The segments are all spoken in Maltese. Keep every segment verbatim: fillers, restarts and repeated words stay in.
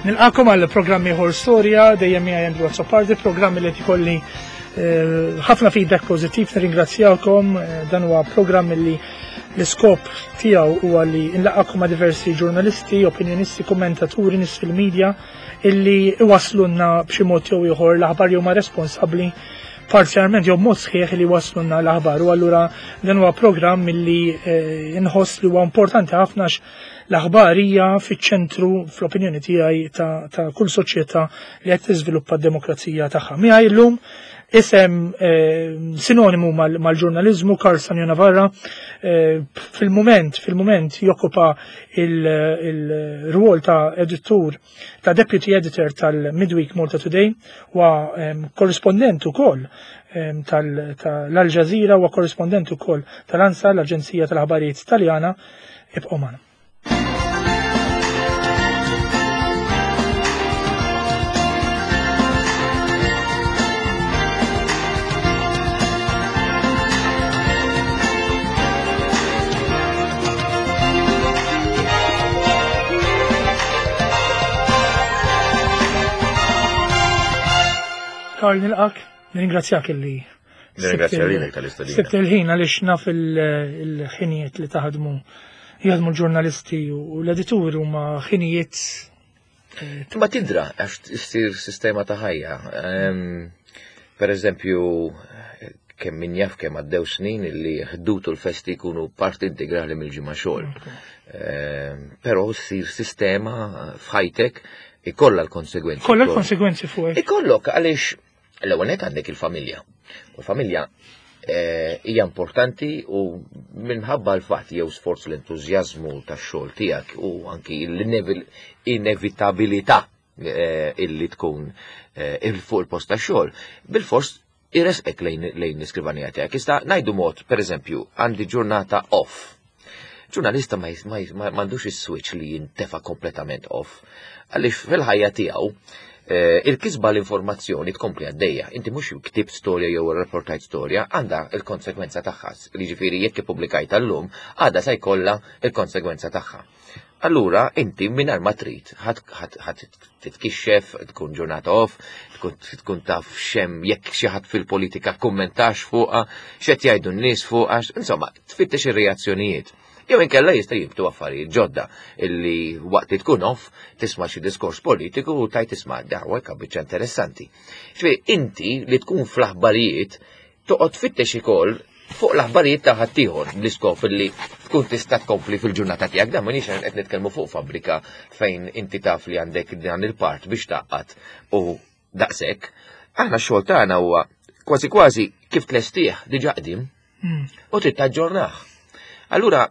Nilqakom għal programm ieħor Storja, dejjem miegħi Andrew Azzopardi, programm li qed ikolli eh, ħafna feedback pożittiv, nirringrazzjakom. Eh, dan huwa programm li l-iskop tiegħu huwa li nlaqakom ma' diversi ġurnalisti, opinjonisti, kommentaturi, nies fil-medja illi iwaslunna b'xi mod jew ieħor l-aħbar jew ma responsabbli parzjalment jew mod sħiħ li waslunna l-aħbar. U allura dan huwa programm illi eh, nħoss li huwa importanti ħafna għax l-aħbar hija fiċ-ċentru fl-opinjoni tiegħi ta', ta kull soċjetà li qed tiżviluppa d-demokrazija tagħha. Miegħi llum isem eh, sinonimu mal-ġurnaliżmu Karl Sannio Navarra, eh, fil-moment fil-moment jokkupa il-rwol ta' editur, ta' deputy editor tal-Midweek Malta Today, wa korrispondent ukoll tal-Al Jazeera u korrispondent ukoll tal-ANSA, l-Aġenzija tal-Aħbarijiet Taljana. Ibqgħu magħna. Karl, nilqak, nirringrazzjak illi Nirringrazzja lilek tal-istedina. Sibt il-ħin għaliex naf il-ħinijiet li taħdmu, jaħdmu l-ġurnalisti u l-editur huma ħinijiet. Ma tidra għax issir sistema ta' ħajja. Per eżempju, kemm min jaf kemm għaddew snin li ħdutu l-festi jkunu parti integrali mill-ġimgħa xogħol. Però ssir sistema f'ħajtek ikollha l-konsegwenzi. Kollha l-konsegwenzi fuq. Ikollok għaliex l-ewwel nett għandek il-familja. U l-familja hija importanti u minħabba l-fatt jew sforz l-entużjażmu tax-xogħol tiegħek u anki l-inevitabilità illi tkun fuq il-post tax-xogħol, bil-fors irresqek lejn l-iskrivanija tiegħek. Issa ngħidu mod, pereżempju, għandi ġurnata off. Ġurnalista ma m'għandux is-switch li jintefa' kompletament off. Għaliex fil-ħajja tiegħu il-kisba l-informazzjoni tkompli għaddejja. Inti mhux ktibt storja jew rapportajt storja, għandha il-konsegwenza tagħha. Jiġifieri jekk ippubblikajt llum, għadha se jkollha il-konsegwenza tagħha. Allura inti mingħajr ma trid ħadd titkixxef, tkun ġurnata off, tkun taf xem jekk xi ħadd fil-politika kummentax fuqha, x'qed jgħidu n-nies fuqha, insomma, tfittex ir-reazzjonijiet. Jew inkella jista' jibtu affarijiet ġodda illi waqt li tkun off tisma' xi diskors politiku u tajt tisma' daw hekk biċċa interessanti. Ġifieri inti li tkun fl-aħbarijiet toqgħod tfittex ukoll fuq l-aħbarijiet ta' ħaddieħor bl-iskop illi tkun tista' tkompli fil-ġurnata tiegħek. Dan m'iniex qed nitkellmu fuq fabbrika fejn inti taf li għandek dan il-part biex taqqat u daqshekk. Aħna x-xogħol tagħna huwa kważi kważi kif tlestih diġà qdim u trid taġġornah. Allura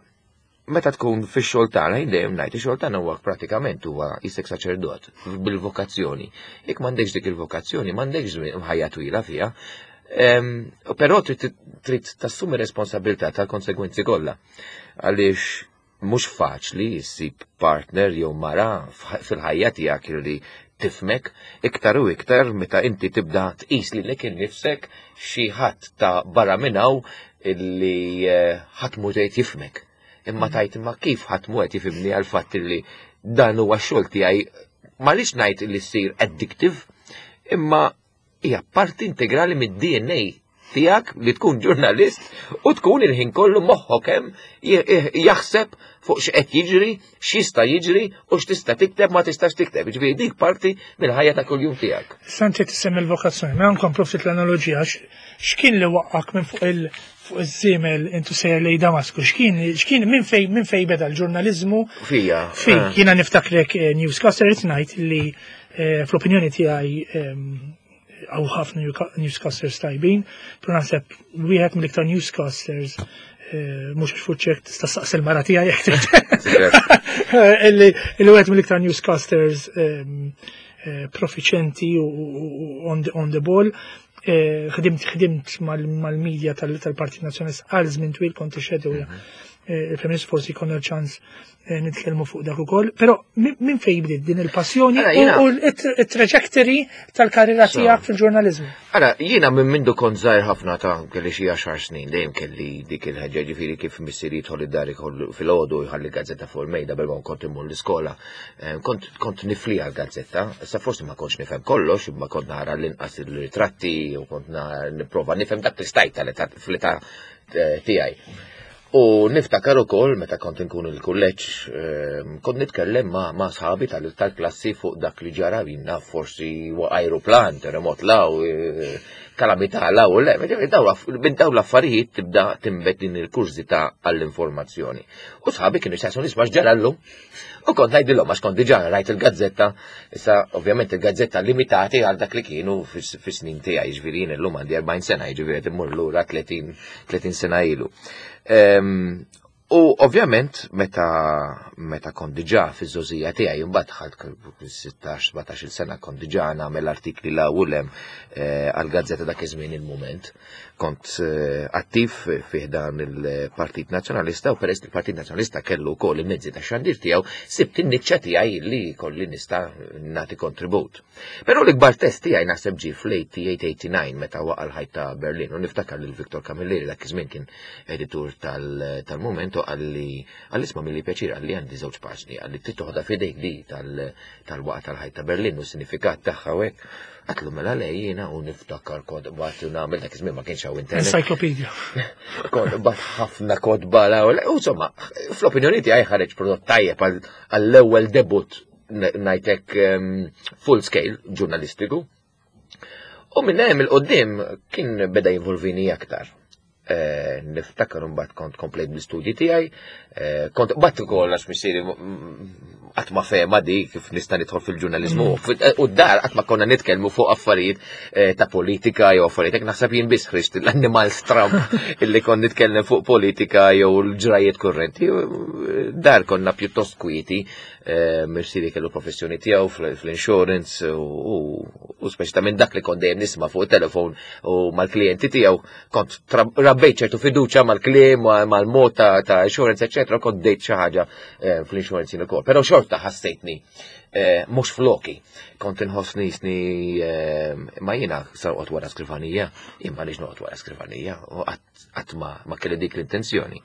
meta tkun fix-xogħol tagħna, jien dejjem ngħid ix-xogħol tagħna huwa pratikament huwa isek saċerdot bil-vokazzjoni. Jekk m'għandekx dik il-vokazzjoni, m'għandekx ħajja twila fiha. Però trid tassumi responsabilità tal-konsegwenzi kollha. Għaliex mhux faċli ssib partner jew mara fil-ħajja tiegħek li tifmek iktar u iktar meta inti tibda tqis lilek innifsek xi ħadd ta' barra minn hawn illi ħadd mhu tgħid jifmek. Imma tajt imma kif ħadd mhu qed jifhimni għal fatt li dan huwa x-xogħol tiegħi, ma rridx ngħid li ssir addictive, imma hija parti integrali mid-D N A tiegħek li tkun ġurnalist u tkun il-ħin kollu moħħok hemm jaħseb fuq x'qed jiġri, x'jista' jiġri u x'tista' tikteb ma tistax tikteb. Jiġifieri dik parti mill-ħajja ta' kuljum tiegħek. Santi tissemmi l-vokazzjoni, mela nkomplu ftit l-analoġija, x'kien li waqqak minn fuq il- fuq iż-żiemel intu sejjer lej Damasku, x'kien, x'kien minn fej, minn fej beda l-ġurnaliżmu? Fija. Fik, eh. jiena niftakrek, eh, newscaster qed ngħid li, eh, fl-opinjoni tiegħi, ehm, hawn ħafna newscasters tajbin, però naħseb wieħed mill-iktar newscasters, eh, mhux għax fuq ċert tista' staqsi l-mara tiegħi jekk trid. Illi, illi wieħed mill-iktar newscasters, ehm, eh, profiċenti u, u, u on the, on the ball. Eh, ħdimt, ħdimt mal-media tal-Partit Nazzjonalista għal żmien twil, kont ixedu Mhm. Il-Prim Ministru, forsi jkollna ċans nitkellmu fuq dak ukoll, però minn fejn bdiet din il-passjoni u l-trajectory tal-karriera tiegħek fil-ġurnaliżmu? Ara, jiena minn mindu kont żgħir ħafna, ta' kelli xi għaxar snin, dejjem kelli dik il-ħeġġa, ġifieri kif missieri jidħol id-dar filgħodu jħalli gazzetta fuq il-mejda bil kont immur l-iskola. Kont kont nifliha l-gazzetta, issa forsi ma kontx nifhem kollox, imma kont nara l-inqas il-ritratti u kont nipprova nifhem dak li stajt fl-età tiegħi. U niftakar ukoll meta kont inkun il-kulleġġ, kont nitkellem ma' ma' sħabi tal-klassi fuq dak li ġara, jinna forsi aeroplan, terremot law, kalamità law, le, minn daw l-affarijiet tibda timbet din il-kurżità għall-informazzjoni. U sħabi kienu jsaqsu, "Isma', x'ġara llum?" U kont ngħidilhom għax kont diġà rajt il-gazzetta, issa ovvjament il-gazzetta limitati għal dak li kienu fis-snin tiegħi, jiġifieri jien illum għandi erbgħin sena, jiġifieri qed immur lura tletin sena ilu. U ovvjament meta meta kont diġà fiż-żgħożija tiegħi, imbagħad dħalt sittax sbatax-il sena, kont diġà nagħmel artikli la u lem għal-gazzetta dak iż-żmien Il-Mument. Kont attiv fih dan il-Partit Nazzjonalista u peress il-Partit Nazzjonalista kellu wkoll il-mezzi ta' xandir tiegħu, sibt in-niċċa tiegħi li kolli nista' nagħti kontribut. Però l-ikbar test tiegħi naħseb ġie fl-tmienja u tmenin meta waqa' l-ħajt ta' Berlin u niftakar lil Viktor Camilleri, dak iż-żmien kien editur tal-Mument, u qalli qalli "Isma', milli pjaċir," qalli, "għandi żewġ paġni," qalli, "trid toħodha f'idejk di tal-waqa tal-ħajt ta' Berlin u sinifikat tagħha u hekk." Għedtlu mela le jiena, u niftakar kont bat nagħmel, dak iż-żmien ma kienx hawn internet. Encyclopedia. Kont bat ħafna kotba la u insomma, fl-opinjoni tiegħi ħareġ prodott tajjeb għall-ewwel debut, ngħidlek, full scale ġurnalistiku. U minn hemm il-qoddim kien beda jinvolvini aktar. Eh, niftakar mbagħad kont komplejt bl-istudji tiegħi, eh, kont bat ukoll għax missieri qatt ma fehma di kif nista' nidħol fil-ġurnaliżmu. Mm. U d-dar qatt ma konna nitkellmu fuq affarijiet eh, ta' politika jew affarijiet. Hekk naħseb jien biss ħriġt l-annimal stramp illi kont nitkellem fuq politika jew l-ġrajiet kurrenti. Dar konna pjuttost kwieti, missieri kellu professjoni tiegħu fl-insurance u speċi ta' minn dak li kont dejjem nisma' fuq il-telefon u mal-klijenti tiegħu kont rabbejt ċertu fiduċa mal-kliem, mal-mod ta' insurance, eccetera, kont dejt xi ħaġa eh, fl-insurance jien ukoll. Però xorta ħassejtni eh, mhux floki. Kont inħossni sni eh, ma jiena sa noqgħod wara skrivanija, jien ma nix noqgħod wara skrivanija u qatt ma kelli dik l-intenzjoni.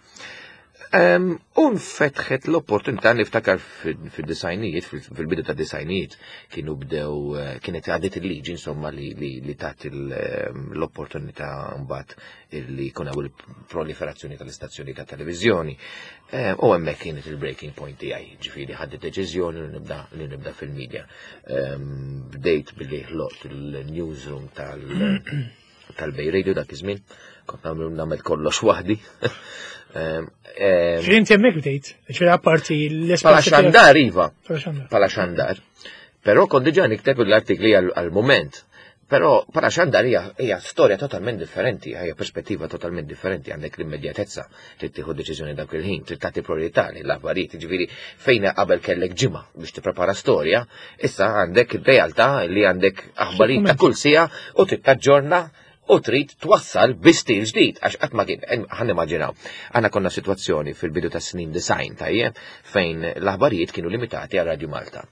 U nfetħet l-opportunità, niftakar fil-disgħinijiet, fil-bidu ta' disgħinijiet, kienu bdew, eh, kienet għaddiet il-liġi insomma li, li, li tat l-opportunità mbagħad li jkun hawn il-proliferazzjoni tal-istazzjoni ta' televizjoni. U hemmhekk kienet il-breaking point tiegħi, ġifieri ħadt deċiżjoni li nibda li nibda fil-media. Bdejt billi ħloqt il-newsroom tal- tal-Bay Radio dak iż-żmien, kont nagħmel kollox waħdi. Ġifieri inti hemmhekk bdejt, ġifieri apparti l-Pala xandar, iva. Pala xandar. Però kont diġà nikteb l-artikli għal-Mument. Però pala xandar hija storja totalment differenti, hija perspettiva totalment differenti, għandek l-immedjatezza, trid tieħu deċiżjoni dak il-ħin, trid tagħti priorità l-affarijiet, ġifieri fejn qabel kellek ġimgħa biex tipprepara storja, issa għandek ir-realtà li għandek aħbarijiet ta' kull siegħa u trid taġġorna u trid twassal bi stil ġdid, għax qatt ma kien, ħa nimmaġinaw. Aħna konna situazzjoni fil-bidu ta' snin disgħin, tajjeb, fejn l-aħbarijiet kienu limitati għal Radio Malta.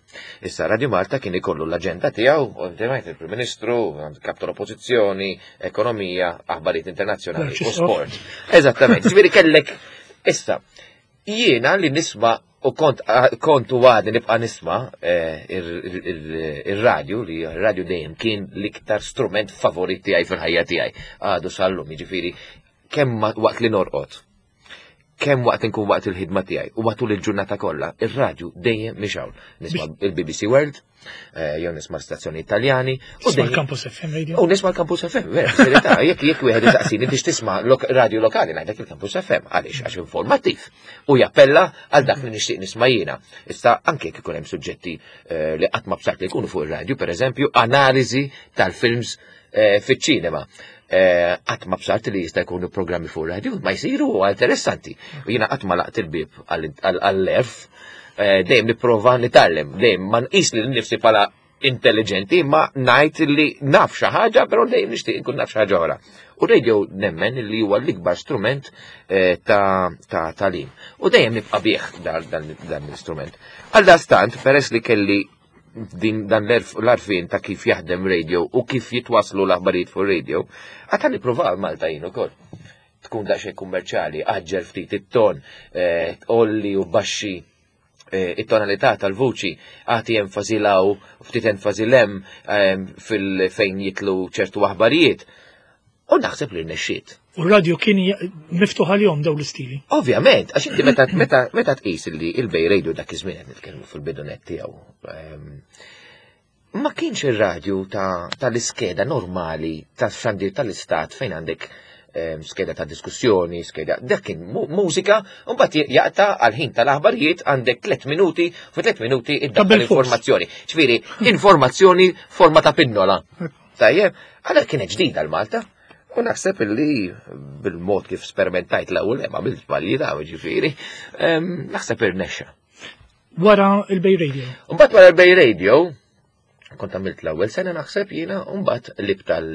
Issa Radio Malta kien ikollu l-aġenda tiegħu, ovvjament il-Prim Ministru, kap tal-Oppożizzjoni, ekonomija, aħbarijiet internazzjonali u sport. Eżattament, ġifieri kellek issa jiena li nisma' u kont kont u għadni nibqa' nisma' eh, ir-radju, li r-radju dejjem kien l-iktar strument favorit tiegħi fil-ħajja tiegħi. Għadu sal-lum, jiġifieri kemm waqt li norqod, kemm waqt inkun waqt il-ħidma tiegħi u matul il-ġurnata kollha, ir-radju dejjem mixgħul. Nisma' il-B B C World, eh, jew nisma' stazzjoni Italjani. U l-Campus F M Radio. U nisma' l-Campus F M, vera, verità, jekk jekk wieħed isaqsini biex tisma' radio lokali, ngħidlek il-Campus F M, għaliex? Għax informattiv u jappella għal dak li nixtieq nisma' jiena. Issa anke jekk ikun hemm suġġetti eh, li qatt ma bsart li jkunu fuq ir-radju, pereżempju, analiżi tal-films eh, fiċ-ċinema. Qatt ma bsart li jista' jkunu programmi fuq radio, ma jsiru interessanti. U jiena qatt ma laqt il-bib għall-erf, dejjem nipprova nitgħallem, dejjem ma nqis li nifsi bħala intelligenti, ma ngħid li naf xi ħaġa, però dejjem nixtieq inkun naf xi ħaġa oħra. U radio nemmen li huwa l-ikbar strument eh, ta' ta' tagħlim. U dejjem nibqa' bih dan dan l-istrument. Għal dastant, peress li kelli din dan l-għarfien ta' kif jaħdem radio u kif jitwaslu l-aħbarijiet fuq radio, għatan nipprova Malta jien ukoll. Tkun daqsxejn kummerċjali, aġġel ftit it-ton, eh, olli u baxxi eh, it-tonalità tal-vuċi, għati enfasi law, ftit enfasi lem fil-fejn jitlu ċertu aħbarijiet. U naħseb li rnexxiet. U r-radio kien miftuħ għalihom daw l-istili. Ovvjament, għax inti meta meta meta tqis li il-Bay Radio dak iż-żmien qed nitkellmu fil-bidunet tiegħu. Ma kienx ir-radju tal-iskeda normali tax-xandir tal-istat fejn għandek skeda ta' diskussjoni, skeda, dak kien mużika, u mbagħad jaqta' għal ħin tal-aħbarijiet għandek tliet minuti, fu tliet minuti iddaħħal informazzjoni. Ġifieri, informazzjoni forma ta' pinnola. Tajjeb, għalhekk kienet ġdida l-Malta. U naħseb illi bil-mod kif sperimentajt l-ewwel hemm għamilt żbalji ta' ġifieri, naħseb irnexxa. Wara il-Bay Radio. Mbagħad wara il-Bay Radio, kont għamilt l-ewwel sena naħseb jiena, u mbagħad lib tal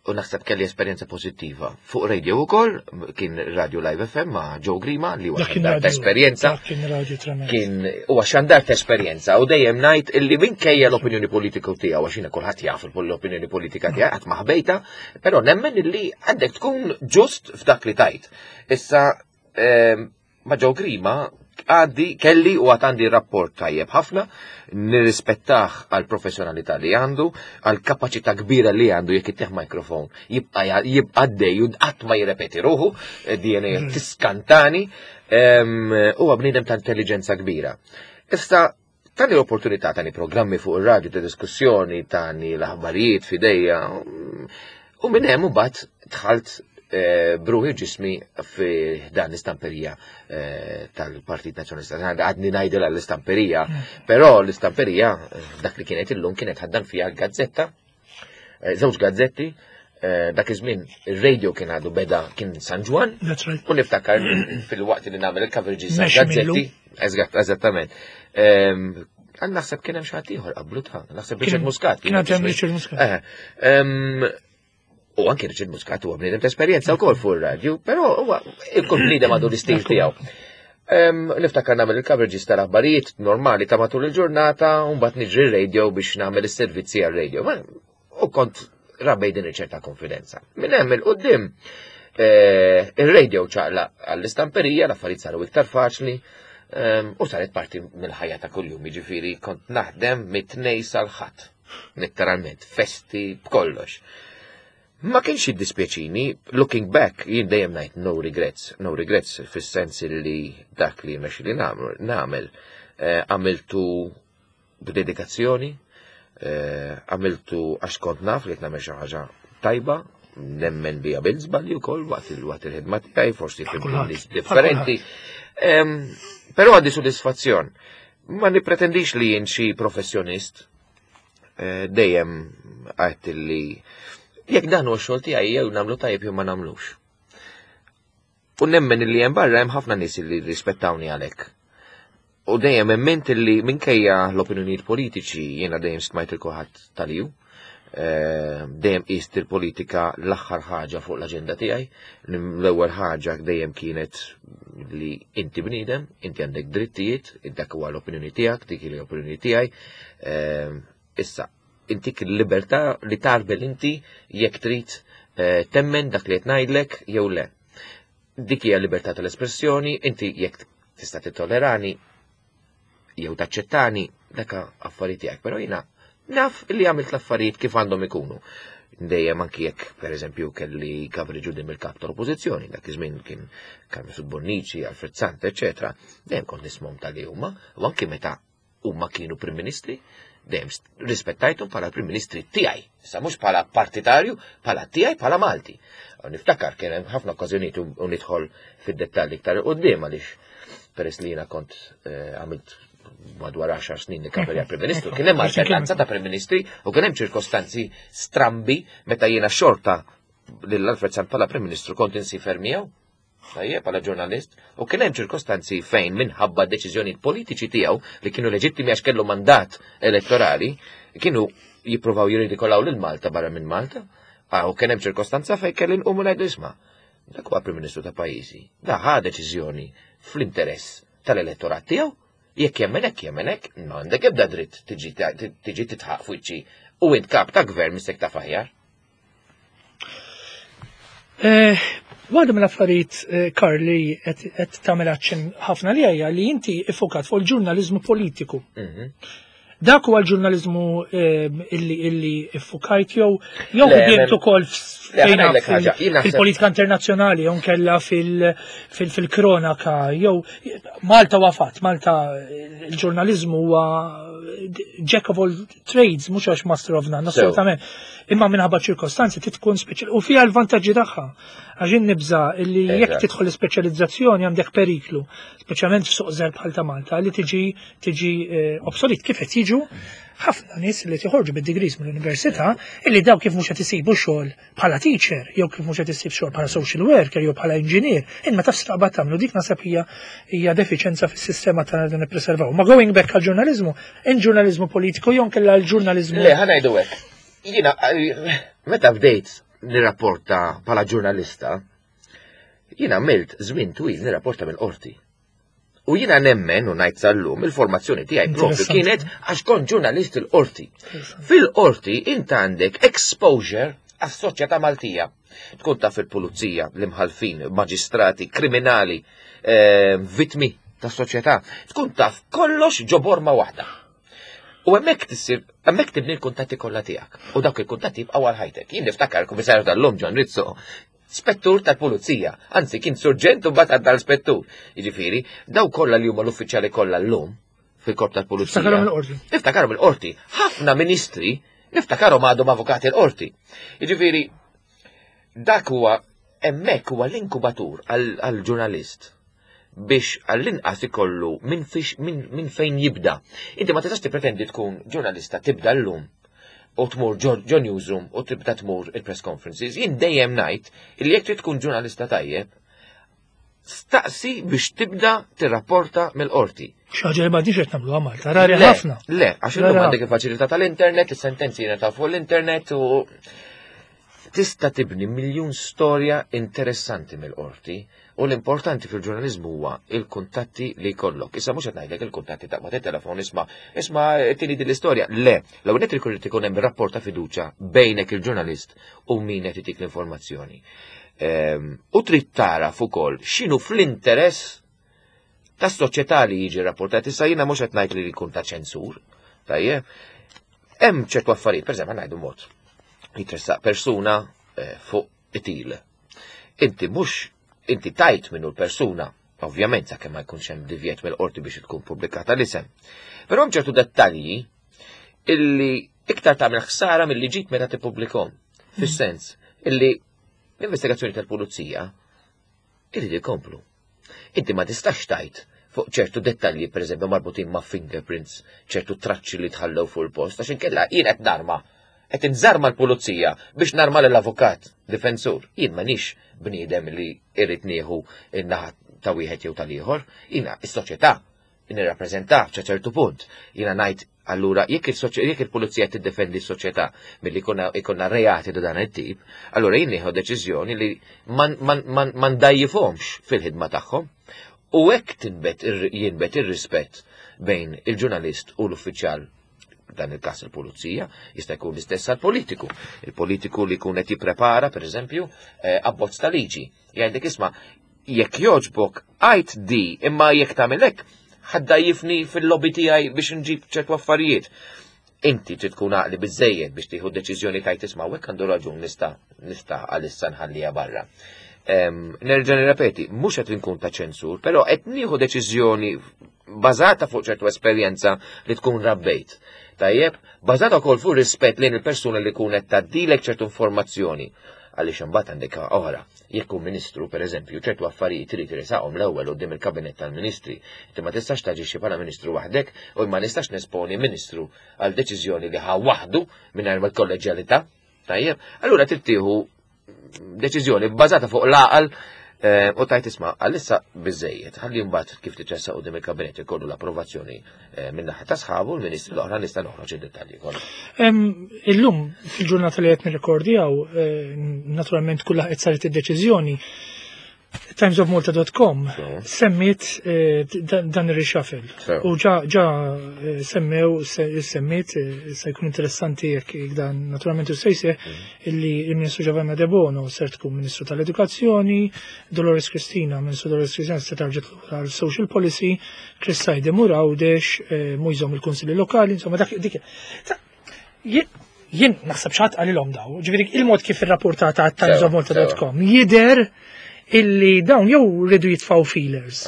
u naħseb kelli esperjenza pożittiva. Fuq radio ukoll, kien Radio Live F M ma' Joe Grima li huwa xandar ta' esperjenza. Kien radio tremend. Kien huwa xandar ta' esperjenza u dejjem ngħid illi minkejja l-opinjoni politika tiegħu għax jiena kulħadd jaf l-opinjoni politika tiegħi qatt ma ħbejta, però nemmen illi għandek tkun ġust f'dak li tajt. Issa ma' Joe Grima għaddi kelli u għad għandi rapport tajjeb ħafna, nirrispettah għal professjonalità li għandu, għal kapaċità kbira li għandu jekk ittieħ mikrofon, jibqa' jibqa' għaddej u qatt ma jirrepeti ruħu, D N A tiskantani, huwa bniedem ta' intelligenza kbira. Issa tani l-opportunità, tani programmi fuq ir-radju ta' diskussjoni, tani l-aħbarijiet f'idejja, u minn hemm imbagħad dħalt bruħi ġismi fi dan l-istamperija tal-Partit Nazzjonalista. Għadni ngħidilha l-istamperija, però l-istamperija dak li kienet illum kienet ħaddan fiha l-gazzetta, żewġ gazzetti, dak iż-żmien ir-radio kien għadu beda kien San Ġwann, u niftakar fil-waqt li nagħmel il-coverages gazzetti, eżattament. Għan naħseb kien hemm xi ħadd ieħor qablu ta' naħseb Richard Muscat. Kien hemm Richard Muscat. U anke Richard Muscat huwa bniedem ta' esperjenza wkoll fuq ir-radju, però huwa kull bniedem għandu l-istil tiegħu. Niftakar nagħmel il-coverages tal-aħbarijiet normali ta' matul il-ġurnata u mbagħad niġri r-radio biex nagħmel is-servizzi għar-radio. U kont rabbej din ċerta konfidenza. Minn hemm il-qudiem ir-radio ċaqlaq għall-istamperija, l-affarijiet saru iktar faċli u saret parti mill-ħajja ta' kuljum, jiġifieri kont naħdem mit-tnejn sal-ħadd, letteralment, festi b'kollox. Ma kienx jiddispjaċini, looking back, jien dejjem ngħid no regrets, no regrets fis-sens li dak li mexi li nagħmel, għamiltu b'dedikazzjoni, għamiltu għax kont naf li qed nagħmel xi ħaġa tajba, nemmen bija bil-żbalji wkoll waqt il-ħidma tiegħi, forsi fil-nies differenti. Però għandi sodisfazzjon. Ma nippretendix li jien xi professjonist, dejjem għedt li jekk dan huwa x-xogħol tiegħi jew nagħmlu tajjeb jew ma nagħmlux. U nemmen li hemm barra hemm ħafna nies li rispettawni għalhekk. U dejjem emmint li minkejja l-opinjonijiet politiċi jiena dejjem stmajt il kulħadd tal-ju, dejjem qist il-politika l-aħħar ħaġa fuq l-aġenda tiegħi, l-ewwel ħaġa dejjem kienet li inti bniedem, inti għandek drittijiet, dak huwa l-opinjoni tiegħek, dik hi l-opinjoni tiegħi. Issa intik il-libertà li tarbel inti jekk trid temmen dak li qed ngħidlek jew le. Dik hija libertà tal-espressjoni, inti jekk tista' tittolerani jew taċċettani, dak affarijiet tiegħek, però jiena naf li għamilt l-affarijiet kif għandhom ikunu. Dejjem anki jekk pereżempju kelli coverage quddiem il-kap tal-oppożizzjoni, dak iż-żmien kien Carmen Bonnici, Alfred Sant, eċetera, dejjem kont nismhom tal-li huma, u anki meta huma kienu Prim Ministri, dejjem rispettajthom bħala Prim Ministri tiegħi, issa mhux bħala partitarju, bħala tiegħi, bħala Malti. Niftakar kien hemm ħafna okkażjonijiet u nidħol fid-dettalji iktar quddiem għaliex peress li jiena kont għamilt madwar għaxar snin nikkaverja Prim Ministru, kien hemm alternanza ta' Prim Ministri u kien hemm ċirkostanzi strambi meta jiena xorta lil Alfred Sant bħala Prim Ministru kont insifer miegħu. Tajjeb, bħala ġurnalist, u kien hemm ċirkostanzi fejn minħabba deċiżjonijiet politiċi tiegħu li kienu leġittimi għax kellu mandat elettorali, kienu jippruvaw jirridikolaw lil Malta barra minn Malta. Ah, u kien hemm ċirkostanza fejn kelli nqumu ngħidu isma'. Dak huwa Prim Ministru ta' pajjiżi. Da ħa deċiżjoni fl-interess tal-elettorat tiegħu. Jekk jemmen hekk jemmen hekk, m'għandek ebda dritt tiġi tiġi titħaq fuċċi u int kap ta' gvern mistek ta' aħjar. Eh, Waħda mill-affarijiet, eh, Karl, li qed tagħmel aċċenn ħafna li hija li inti iffukat fuq il-ġurnaliżmu politiku. Mhm. Dak huwa l-ġurnaliżmu eh, illi illi iffukajt jew jew Le, ħdimt men- ukoll Le, ħa fejna ngħidlek ħaġa, jien naħseb- fil-politika internazzjonali jew nkella fil- fil- fil-kronaka jew Malta wafat, Malta il-ġurnaliżmu huwa jack of all trades, mhux għax master of none, Sew. assolutament. Imma minħabba ċirkostanzi tkun speċjal u fiha l-vantaġġi tagħha. Għax jien nibża illi jekk Eżatt. tidħol l-ispeċjalizzazzjoni għandek periklu, speċjalment f'suq żgħir bħal ta' Malta, li tiġi tiġi eh, obsolet kif qed jiġu ħafna nies li joħorġu bid-degrees mill-università illi daw kif mhux qed isibu xogħol bħala teacher jew kif mhux qed isib xogħol bħala social worker jew bħala engineer, imma taf taqbad tagħmlu dik naħseb hija hija defiċenza fis-sistema tagħna li nippreservaw. Ma going back għall-ġurnaliżmu, in-ġurnaliżmu politiku jew nkella l-ġurnaliżmu Le, ħa ngħidu hekk. Jiena, eh, meta bdejt nirrapporta bħala ġurnalista, jiena għamilt żmien twil nirrapporta mill-qorti. U jiena nemmen u ngħid sal-lum il-formazzjoni tiegħi propju Interessanti. kienet għax kont ġurnalist il-qorti. Fil-qorti int għandek exposure għas-soċjetà Maltija. Tkun taf il-pulizija, l-imħalfin, maġistrati, kriminali, eh, vitmi tas soċjetà. Tkun taf kollox ġo borma waħda. U hemmhekk tissir, hemmhekk tibni l-kuntatti kollha tiegħek. U dawk il-kuntatti jibqgħu għal ħajtek. Jien niftakar il-Kummissarju tal-lum John Rizzo, spettur tal-pulizija, anzi kien surġent u mbagħad għadda l-spettur. Jiġifieri, daw kollha li huma l-uffiċjali kollha llum fil-korp tal-pulizija. Niftakarhom il-qorti. Niftakarhom il-qorti. Ħafna ministri niftakarhom għadhom avukati l-qorti. Jiġifieri, dak huwa hemmhekk huwa l-inkubatur għall-ġurnalist biex għall-inqas ikollu minn fix- min, min fejn jibda. Inti ma tistax tippretendi tkun ġurnalista tibda llum u tmur ġo ġo newsroom u tibda tmur il-press conferences. Jien dejjem ngħid li jekk trid tkun ġurnalista tajjeb, staqsi biex tibda tirrapporta mill-qorti. Xi ħaġa li m'għadniex qed nagħmluha Malta, rari Le, ħafna. Le, għax illum Rari għandek il-faċilità tal-internet, is-sentenzi ta' fuq l-internet u tista' tibni miljun storja interessanti mill-qorti u l-importanti fil-ġurnalizmu huwa il-kuntatti li jkollok. Issa mhux qed ngħidlek il-kuntatti ta' ma telefon isma' isma' tini din l-istorja. Le, l-ewwel nett irid ikun hemm rapport ta' fiduċja bejnek il-ġurnalist u min qed itik l-informazzjoni. Ehm, U trid taraf ukoll x'inhu fl-interess tas-soċjetà li jiġi rapportat. Issa jiena mhux qed ngħid li jkun ta' ċensur, tajjeb. Hemm ċertu affarijiet, pereżempju ngħidu mod. Jitressaq persuna eh, fuq it-til. Inti mhux inti tajt minnu l-persuna, ovvjament sakemm ma jkunx hemm divjet mill-qorti biex tkun pubblikata l-isem. Però hemm ċertu dettalji illi iktar tagħmel ħsara milli ġid meta tippubblikhom. Fis-sens illi l-investigazzjoni tal-pulizija irrid ikomplu. Inti ma tistax tajt fuq ċertu dettalji, per eżempju, marbutin ma' fingerprints, ċertu traċċi li tħallew fuq il-post, għax inkella jien qed narma, qed inżarma l-pulizija biex narma l-avukat difensur. Jien m'għandix bniedem li irrid nieħu in-naħa ta' wieħed jew tal-ieħor, jiena is-soċjetà nirrappreżenta sa ċertu punt. Jiena ngħid allura jekk il-soċ- jekk il-pulizija tiddefendi s-soċjetà milli jkollna jkollna reati ta' dan it-tip, allura jien nieħu deċiżjoni li man man man ma ndajjifhomx fil-ħidma tagħhom. U hekk tinbet ir- jinbet ir-rispett bejn il-ġurnalist u l-uffiċjal dan il-każ il-pulizija, jista' jkun l-istess għal-politiku. Il-politiku li jkun qed jipprepara, per eżempju, eh, abbozz ta' liġi. Jgħidlek isma' jekk jogħġbok għajt di, imma jekk tagħmel hekk, ħa ddgħajjifni fil-lobby tiegħi biex nġib ċertu affarijiet. Inti trid tkun għaqli biżejjed biex tieħu deċiżjoni tajt isma' hekk għandu raġun nista' nista' għalissa nħallija barra. Em, Nerġa' nirrepeti, mhux qed inkun ta' ċensur, però qed nieħu deċiżjoni bażata fuq ċertu esperjenza li tkun rabbejt. Tajjeb, bażata wkoll fuq rispett lejn il-persuna li kun qed tgħaddilek ċertu informazzjoni. Għaliex imbagħad għandek oħra, jekk hu ministru, pereżempju, ċertu affarijiet trid irisaqhom l-ewwel quddiem il-kabinet tal-ministri. Inti ma tistax taġixxi bħala ministru waħdek u ma nistax nesponi ministru għal deċiżjoni li ħa waħdu mingħajr ma l-kolleġjalità. Tajjeb, allura trid tieħu deċiżjoni bbażata fuq l-għaqal U tajt isma' għalissa biżejjed, ħalli mbagħad kif titressaq quddiem il-kabinet ikollu l-approvazzjoni min-naħa ta' sħabu l-ministri l-oħra nista' noħroġ id-dettalji kollha. Illum fil-ġurnata li qed nirrekordjaw, naturalment kull qed saret id-deċiżjoni, Times of Malta dot com semmiet dan ir-reshuffle. U ġa ġa semmew semmiet se jkun interessanti jekk dan naturalment u sejse illi il-Ministru Giovanna De Bono ser tkun Ministru tal-Edukazzjoni, Dolores Cristina, Ministru Dolores Cristina se tarġet lura social policy, Chris Said imur Għawdex, mujżom il-Kunsilli Lokali, insomma dak dik. Jien naħseb xi ħadd qalilhom daw, ġifieri il-mod kif irrapportata Times of Malta dot com jidher illi dawn jew rridu jitfaw feelers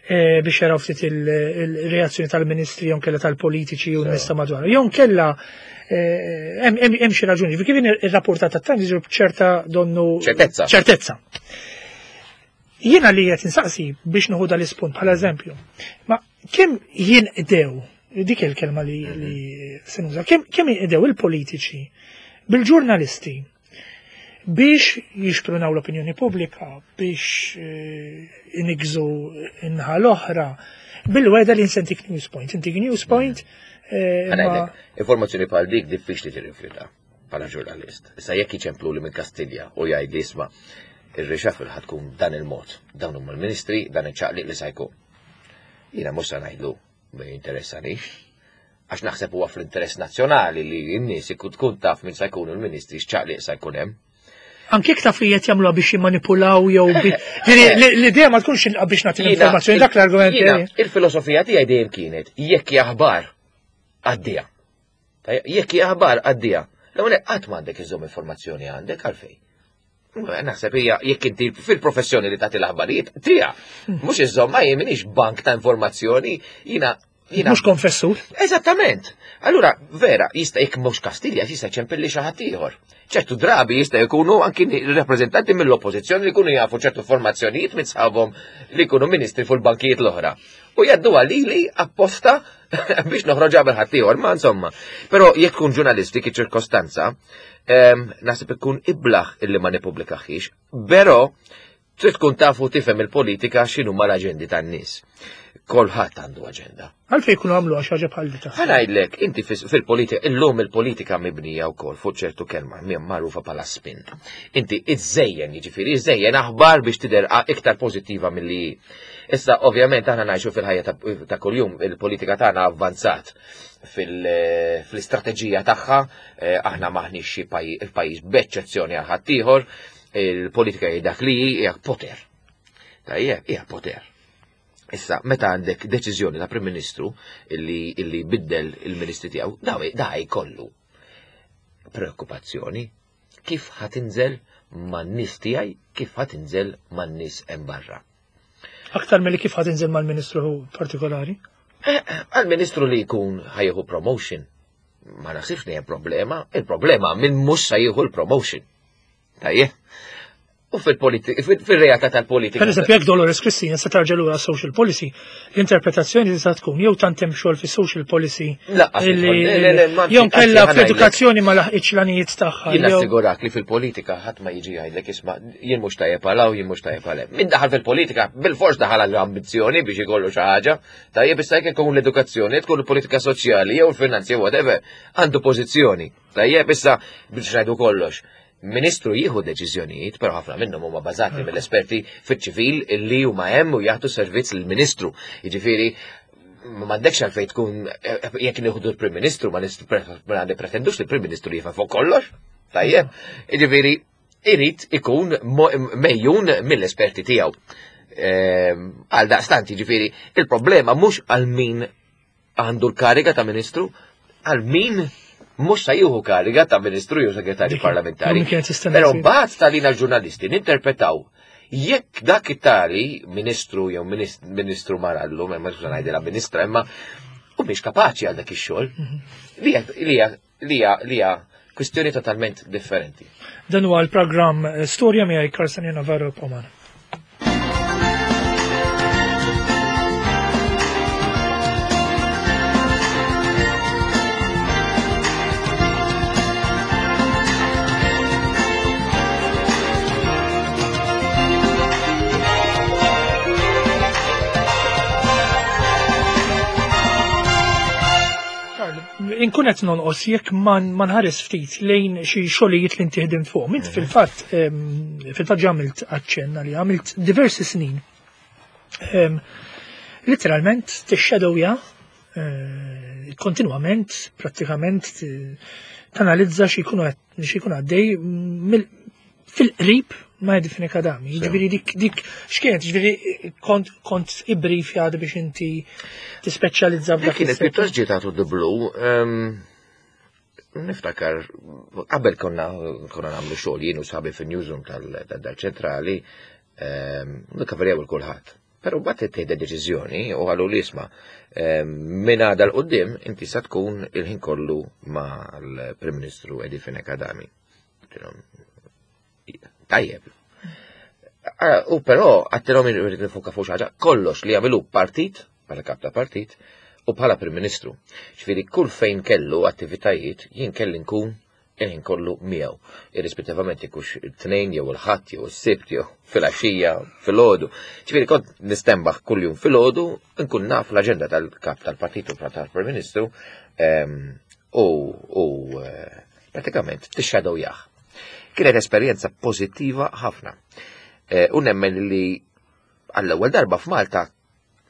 biex jaraw ftit il-reazzjoni tal-ministri jew kella tal-politiċi u n-nies ta' madwar. Jew kella hemm xi raġuni. Kif ir-rapportat tat-Times jiġu b'ċerta donnu ċertezza. Ċertezza. Jiena li qed insaqsi biex nieħu dal-ispunt bħala eżempju. Ma kemm jinqdew, dik il-kelma li se nuża, kemm jinqdew il-politiċi bil-ġurnalisti biex jixprunaw l-opinjoni pubblika, biex inigżu in-naħa l-oħra, bil-weda li nsentik news point. Intik news point. Informazzjoni bħal dik diffiċli tirrifjuta bħala ġurnalist. Issa jekk iċemplu li minn Kastilja u jgħid li isma' ir-reshuffle ħad tkun dan il-mod, dawn huma l-ministri, dan iċ-ċaqliq li se jkun. Jiena mhux se ngħidlu ma jinteressanix, għax naħseb huwa fl-interess nazzjonali li n-nies tkun taf min se jkunu l-ministri x'ċaqliq se jkun hemm. Anke jekk taf li qed jagħmluha biex jimmanipulaw jew l-idea ma tkunx biex nagħti l-informazzjoni, dak l-argument. Il-filosofija tiegħi dejjem kienet jekk hija aħbar għaddija. Jekk hija aħbar għaddija. L-ewwel qatt m'għandek iżomm informazzjoni għandek għalfejn. Naħseb hija jekk inti fil-professjoni li tagħti l-aħbarijiet tiegħek, mhux iżomm ma jien m'iniex bank ta' informazzjoni, jiena mhux konfessur. Eżattament. Allura vera jista' jekk mhux Kastilja jista' ċempilli xi ħadd ieħor. Ċertu drabi jista' jkunu anki rappreżentanti mill-oppożizzjoni li jkunu jafu ċertu formazzjonijiet minn sħabhom li jkunu ministri fuq il-bankijiet l-oħra. U jgħaddu għalili apposta biex noħroġ qabel ħadd ieħor, ma insomma. Però jekk tkun ġurnalist dik iċ-ċirkostanza, naħseb ikun iblaħ illi ma nippubblikaħiex, però trid tkun tafu tifhem il-politika x'inhuma l-aġendi tan-nies. Kulħadd għandu aġenda. Għalfejn jkunu għamlu għax ħaġa bħal di taħseb? Ħa ngħidlek, inti fil-politika, illum il-politika mibnija wkoll fuq ċertu kelma magħrufa bħala spin. Inti iżżejjen, jiġifieri iżżejjen aħbar biex tidher iktar pożittiva milli hi. Issa ovvjament aħna ngħixu fil-ħajja ta' kuljum, il-politika tagħna avvanzat fl-istrateġija tagħha, aħna maħniex xi pajjiż b'eċċezzjoni għal ħaddieħor, il-politika hija dak li hija poter. Tajjeb, hija poter. Issa, meta għandek deċiżjoni ta' Prim Ministru illi, illi biddel il-ministri tiegħu, da jkollu preokkupazzjoni kif ħatinżel man-nies tiegħi, kif ħatinżel man-nies hemm barra. Aktar milli kif ħatinżel mal-ministru partikolari? Għal-ministru li jkun ħajjeħu promotion, ma naħsibx li hemm problema, il-problema minn mhux se jieħu l-promotion. Tajjeb? U fil-realtà tal-politika. Per eżempju, jekk Dolores Cristina se tarġa' lura social policy, l-interpretazzjoni tista' tkun jew tant hemm xogħol fis-social policy jew kellha fl-edukazzjoni ma laħqitx l-għanijiet tagħha. Jien assigurak li fil-politika ħadd ma jiġi jgħidlek isma' jien mhux tajjeb għal hawn, jien mhux tajjeb għal hemm. Min daħal fil-politika bil-fors daħal għal ambizzjoni biex ikollu xi ħaġa. Tajjeb issa jekk ikun l-edukazzjoni, tkun il-politika soċjali jew il-finanzi jew whatever, għandu pożizzjoni. Tajjeb issa biex ngħidu kollox. Ministru jieħu deċiżjonijiet, però ħafna minnhom huma bażati mill-esperti fiċ-ċivil illi huma hemm u jagħtu servizz lill-Ministru. Jiġifieri m'għandekx għalfejn tkun jekk nieħdu l-Prim Ministru ma nippretendux li l-Prim Ministru jifhem fuq kollox. Tajjeb, jiġifieri irid ikun mejjun mill-esperti tiegħu. Għal daqstant, jiġifieri il-problema mhux għal min għandu l-kariga ta' Ministru, għal min mhux se jieħu kariga ta' ministru jew segretarju parlamentari. Però mbagħad talina l-ġurnalisti ninterpretaw jekk dak it-tali ministru jew ministru marallu, ma ngħidilha ministra, imma u mhix kapaċi għal dak ix-xogħol. Li hija li hija kwistjoni totalment differenti. Dan huwa l-programm Storja miegħi Karl Navarro Pomana. Karl, inkun qed nonqos jekk ma nħares ftit lejn xi xogħlijiet li inti ħdimt fuq. Int fil-fatt fil-fatt għamilt aċċenna li għamilt diversi snin. Literalment tixxadowja eh, kontinwament, prattikament tanalizza xi jkun għaddej fil-qrib ma' Eddie Fenech Adami. Ġifieri dik dik x'kienet, ġifieri kont kont ibbrifjat biex inti tispeċjalizza f'dak. Kienet pjuttost ġiet out of the blue. Niftakar, qabel konna konna nagħmlu xogħol jien u sħabi fin-newsroom tal-ċentrali, nikkaverjaw il-kulħadd. Però mbagħad ittieħdet deċiżjoni u qalu li isma' minn għada 'l quddiem inti sa tkun il-ħin kollu mal-Prim Ministru Eddie Fenech Adami. Tajjeb. U però għedtilhom irrid nifoka fuq ħaġa, kollox li jagħmlu partit, bħala kap ta' partit, u bħala Prim Ministru. Ġifieri kull fejn kellu attivitajiet jien kelli nkun il-ħin kollu miegħu. Irrispettivament ikux it-Tnejn jew il-Ħadd jew is-Sibt jew fil-għaxija, fil-għodu. Ġifieri kont nistenbaħ kuljum fil-għodu nkun naf l-aġenda tal-kap tal-partit u tal-Prim Ministru u pratikament tixxadowjah. Kienet esperjenza pożittiva ħafna. U nemmen li għall-ewwel darba f'Malta,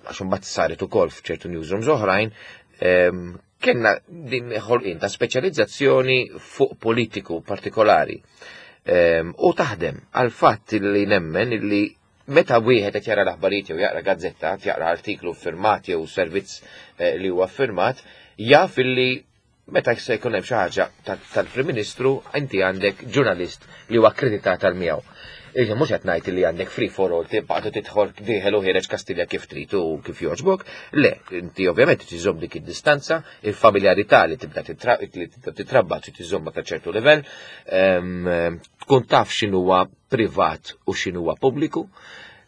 għax imbagħad saret ukoll f'ċertu newsrooms oħrajn, kellna din ħolqien ta' speċjalizzazzjoni fuq politiku partikolari. U taħdem għal fatt li nemmen li meta wieħed qed jara l-aħbarijiet jew jaqra gazzetta, jaqra artiklu firmat jew servizz li huwa firmat, jaf li meta se jkun hemm xi ħaġa tal-Prim Ministru, inti għandek ġurnalist li huwa akkreditat għal miegħu. Iġa mhux qed ngħid li għandek free for all, tibqa' tidħol dieħel u ħiereġ Kastilja kif trid u kif jogħġbok. Le, inti ovvjament tiżomm dik id-distanza, il-familjarità li tibda titrabba trid tiżommha ta' ċertu livell, tkun taf x'inhuwa privat u x'inhuwa pubbliku.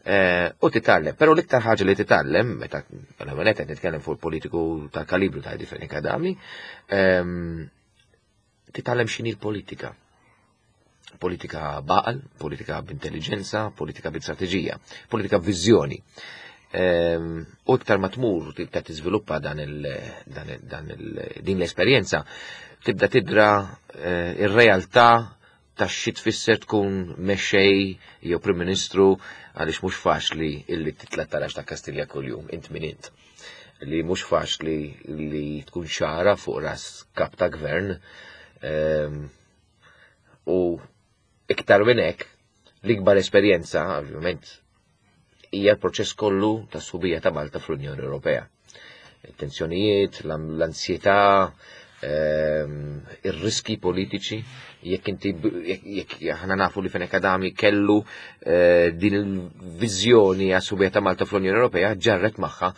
U titgħallem, però l-iktar ħaġa li titgħallem, meta l-ewwel qed nitkellem fuq il-politiku tal-kalibru ta' Eddie Fenech Adami, titgħallem x'inhi l-politika. Politika b'għaqal, politika b'intelligenza, politika b'strateġija, politika b'viżjoni. U iktar ma tmur tibda tiżviluppa dan din l-esperjenza, tibda tidra ir-realtà ta' xi tfisser tkun mexxej jew Prim Ministru, għaliex mhux faċli illi titla' taraġ ta' Kastilja kuljum, int min int. Li mhux faċli li tkun xara fuq ras kap ta' gvern. U iktar minn hekk, l-ikbar esperjenza, ovvjament, hija l-proċess kollu ta' sħubija ta' Malta fl-Unjoni Ewropea. Tensjonijiet, l-ansjetà, ir-riski politiċi, jekk inti jekk aħna nafu li Fenech Adami kellu din il-viżjoni għas-sħubija ta' Malta fl-Unjoni Ewropea, ġarret magħha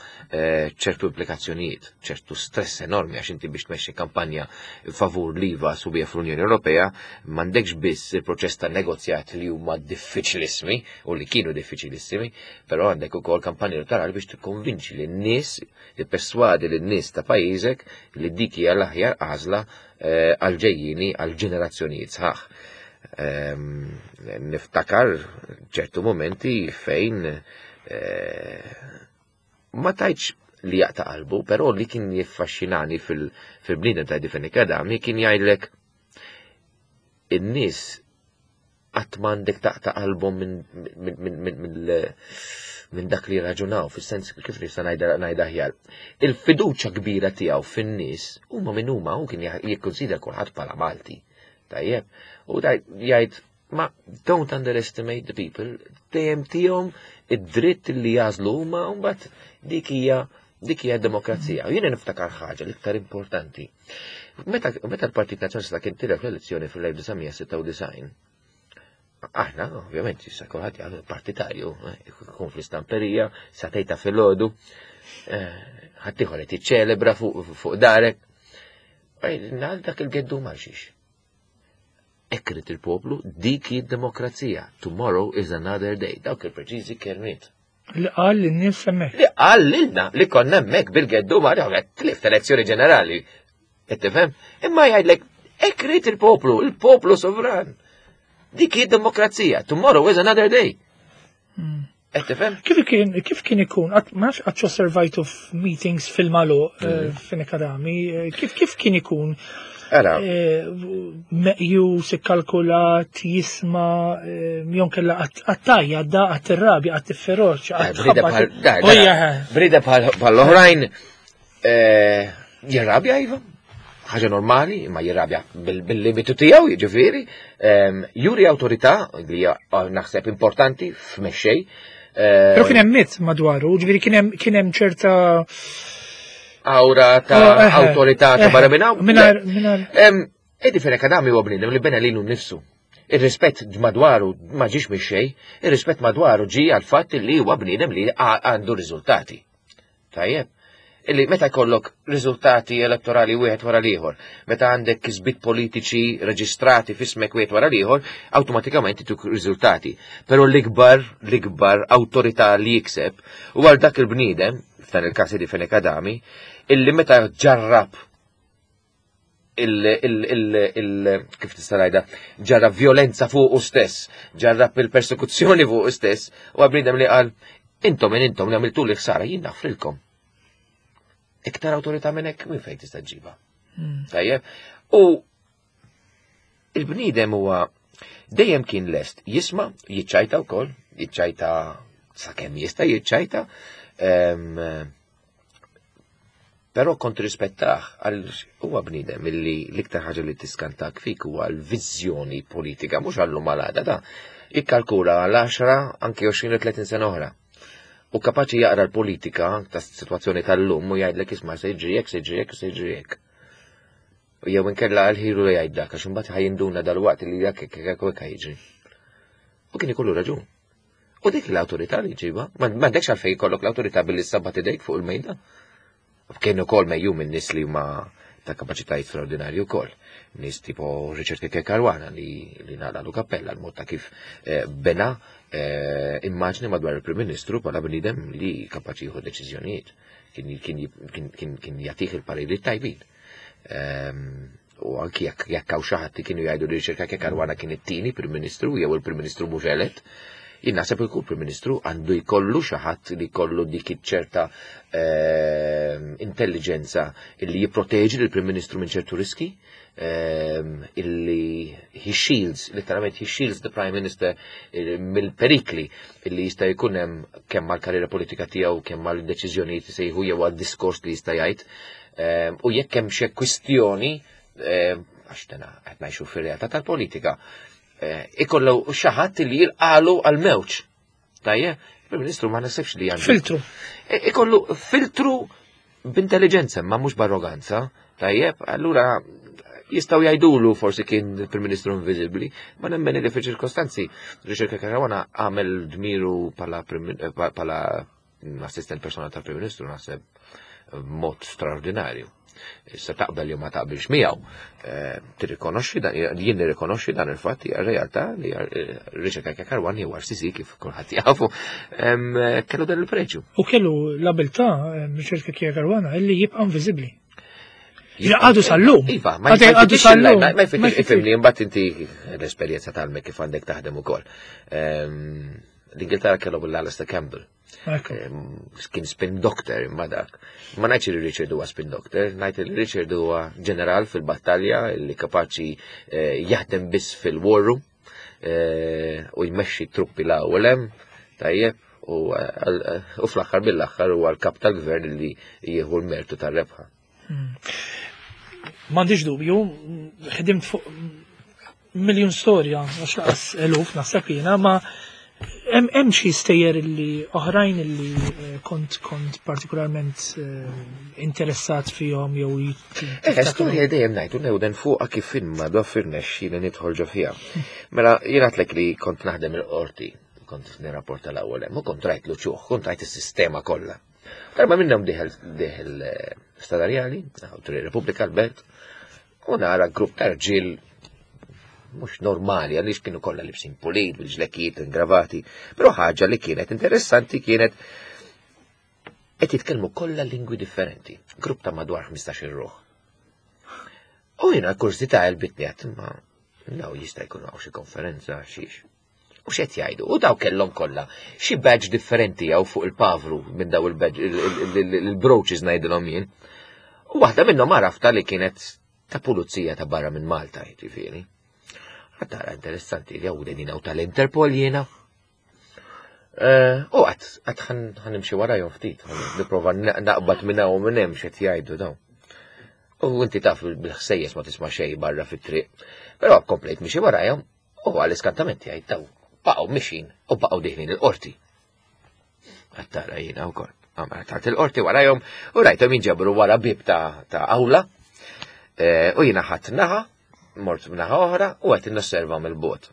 ċertu implikazzjonijiet, ċertu stress enormi, għax inti biex tmexxi kampanja favur l-iva sħubija fl-Unjoni Ewropea m'għandekx biss il-proċess ta' negozjat li huma diffiċilissimi u li kienu diffiċilissimi, però għandek ukoll kampanja elettorali biex tikkonvinċi lin-nies, tipperswadi lin-nies ta' pajjiżek li dik hija l-aħjar għażla għal-ġejjini għal-ġenerazzjonijiet sħaħ. Niftakar ċertu momenti fejn ma tajtx li jaqta' qalbu, però li kien jiffaxxinani fil-bniedem ta' Eddie Fenech Adami kien jgħidlek in-nies qatt m'għandek taqta' qalbhom minn dak li raġunaw, fis-sens kif nista' ngħidha aħjar. Il-fiduċja kbira tiegħu fin-nies huma min huma, hu kien jikkonsidra kulħadd bħala Malti. Tajjeb, u jgħid ma don't underestimate the people, dejjem tihom id-dritt li jażlu huma, u mbagħad dik hija dik hija demokrazija. U jiena niftakar ħaġa l-iktar importanti. Meta l-Partit Nazzjonalista kien tilef l-elezzjoni fil-elf disa' sitta u disgħin, aħna, ovvjament, issa kulħadd jgħid partitarju, jkun fl-istamperija, satejta fil-għodu, ħaddieħor qed jiċċelebra fuq darek. Għal dak il-geddu ma xiex. Ekrit il-poplu, dik hi d-demokrazija. Tomorrow is another day. Dawk il-preċiżi kelmiet. Li qal lin-nies hemmhekk. Li qal lilna li konna hemmhekk bil-geddu ma tlift elezzjoni ġenerali. Qed tifhem? Imma jgħidlek ekrit il-poplu, il-poplu sovran. Dik hi d-demokrazija. Tomorrow is another day. Qed tifhem? Kif kien kif kien ikun, qatt ma nafx qatt osservajtu f'meetings fil-magħluq eh, Fenech Adami, eh, kif kif kien ikun Ara, eh, meqjus, ikkalkulat, jisma', eh, jew inkella għattajja, da għat-rabja, għat-feroċ, Brida bħal da, da, brida bħal bħall-oħrajn eh, jirrabja iva. Ħaġa normali, imma jirrabja bil- bil-limitu tiegħu, jiġifieri. Em, Juri awtorità li hija eh, naħseb importanti f'mexxej. Eh, Però kien hemm mit madwaru, ġifieri kien hemm kien hemm ċerta Aura ta' Oh, eh, awtorità ta' eh, barra minn hawn. Mingħajr mingħajr Em, Eddie Fenech Adami huwa bniedem li bena lilu nnifsu. Ir-rispett madwaru ma ġiex mix xejn, ir-rispett madwaru ġie għal fatt li huwa bniedem li għa- għandu riżultati. Tajjeb. Illi meta jkollok riżultati elettorali wieħed wara l-ieħor, meta għandek kisbiet politiċi reġistrati f'ismek wieħed wara l-ieħor, awtomatikament ituk riżultati. Però l-ikbar, l-ikbar awtorità li jikseb huwa dak il-bniedem, f'dan il-każ Eddie Fenech Adami, illi meta ġarrab il, il, il, il, kif tista' ngħidha, ġarrab violenza fuqu stess, ġarrab il-persekuzzjoni fuqu stess, u bniedem li qal intom minn intom li għamiltu li ħsara jien naħfrilkom. Iktar awtorità minn hekk minn fejn tista' ġġibha. Tajjeb. U il-bniedem huwa dejjem kien lest jisma', jiċċajta wkoll, jiċċajta sakemm jista' jiċċajta, em, Però kont rispettah għal huwa bniedem illi l-iktar ħaġa li tiskantak fik huwa l-viżjoni politika, mhux għallu malada da. Jikkalkula għal għaxra anke għoxrin u tletin sena oħra. U kapaċi jaqra l-politika ta' situazzjoni tal-lum u jgħidlek isma' se jiġri hekk, se jiġri hekk, se jiġri hekk. U jew inkella għal-ħiru li jgħid dak, għax imbagħad ħa jinduna dal-waqt li dak hekk hekk hekk jiġri. U kien ikollu raġun. U dik l-awtorità li ġiba, m'għandekx għalfejn jkollok l-awtorità billi sabbat idejk fuq il-mejda. Kien ukoll mejju minn nies li huma ta' kapaċitajiet straordinarji wkoll. Nies tipo Richard Cachia Caruana li li naqlalu kappella l-mod ta' kif eh, bena eh, immaġni madwar il-Prim Ministru bħala bniedem li kapaċi jieħu deċiżjonijiet. Kien kien kien kien kien jagħtih il-pariri tajbin. Ehm, U anki jekk jekk hawn xi ħadd kienu jgħidu li Richard Cachia Caruana kien it-tieni Prim Ministru jew il-Prim Ministru mhux elett, jien naħseb il kull Prim Ministru għandu jkollu xi ħadd li jkollu dik iċ-ċerta ehm, intelligenza illi jipproteġi lill-Prim Ministru minn ċertu riski, ehm, illi he shields, literalment he shields the Prime Minister eh, mill-perikli illi jista' jkun hemm kemm mal-karriera politika tiegħu, kemm mal-deċiżjonijiet li se jieħu jew għad-diskors li jista' jgħid. Ehm, U jekk hemm xi kwistjoni, ehm, għax dana qed ngħixu fir-realtà tal-politika, eh, ikollu xi ħadd li jilqalu għal-mewġ. Tajjeb, il-Prim Ministru ma nasibx li għandu. filtru. E- Ikollu filtru b'intelligenza, ma mhux b'arroganza. Tajjeb, allura jistgħu jgħidulu forsi kien il-Prim Ministru inviżibbli, ma nemmen li fil-ċirkostanzi Richard Caruana għamel dmiru bħala prim- eh, bħala assistent personali tal-Prim Ministru naħseb mod straordinarju. Issa taqbel jew ma taqbilx miegħu. Eh, Tirrikonoxxi dan, jien nirrikonoxxi dan il-fatt hija realtà li eh, Richard Cachia Caruana jew R C C kif kulħadd jafu em, kellu dan il-preġju. U kellu l-abilità, eh, Richard Cachia Caruana, illi jibqa' inviżibbli. Għadu sal-lum. Iva, ma Għadu jfittix sal-lum. ma Ma jfittix jfittix. ifhimni imbagħad inti l-esperjenza tal-mek kif għandek taħdem ukoll. Ehm, L-Ingilterra kellhom l-Alistair Campbell. Ekku. Ehm, Kien spin doctor imma dak. Ma ngħidx li Richard huwa spin doctor, ngħid li Richard huwa ġeneral fil-battalja li kapaċi eh, jaħdem biss fil-war room eh, u jmexxi truppi la u lem, tajjeb, u eh, u fl-aħħar mill-aħħar huwa l-kap tal-gvern li jieħu l-mertu tar-rebħa. M'għandix dubju, ħdimt fuq miljon storja, għax laqas eluf naħseb jiena, ma hemm hemm xi stejjer illi oħrajn illi eh, kont kont partikolarment eh, interessat fihom jew jit- Eh, storja dejjem ngħidu newden fuqha kif imma doffir nexxi li nidħol ġo fiha. Mela jien għedtlek li kont naħdem il-qorti, kont nirrapporta l-ewwel hemm, u kont rajt l-uċuħ, kont rajt is-sistema kollha. Darba minnhom dieħel dieħel eh, Strada Rjali, Triq Repubblika l-Belt, u nara grupp ta' rġiel mhux normali, għaliex kienu kollha libsin pulit, bil-ġlekiet, ingravati, però ħaġa li kienet interessanti kienet qed jitkellmu kollha lingwi differenti, grupp ta' madwar ħmistax-il ruħ. U jiena kurżità għelbitni għedt, ma naw jista' jkun hawn xi konferenza xiex. U x'qed jgħidu? U daw kellhom kollha xi badge differenti jew fuq il-pavru minn daw il-badge il-brooches ngħidilhom jien. U waħda minnhom għarafta li kienet ta' pulizija ta' barra minn Malta, jiġifieri. Tara interessanti li hawn din tal-Interpol jiena. Eh, u għat, għat ħa nimxi warajhom ftit, nipprova naqbad minn hawn minn hemm x'qed jgħidu dawn. U inti taf bil-ħsejjes ma tisma' xejn barra fit-triq. Però komplejt mixi warajhom u għall-iskantament jgħid daw baqgħu mixin u baqgħu deħlin il-qorti. Għattara jiena wkoll. Għamma tard il-qorti warajhom u rajthom jinġabru wara bib ta' awla. Eh, u jiena ħadd naħa, mort naħa oħra u qed nosserva mill-bogħod.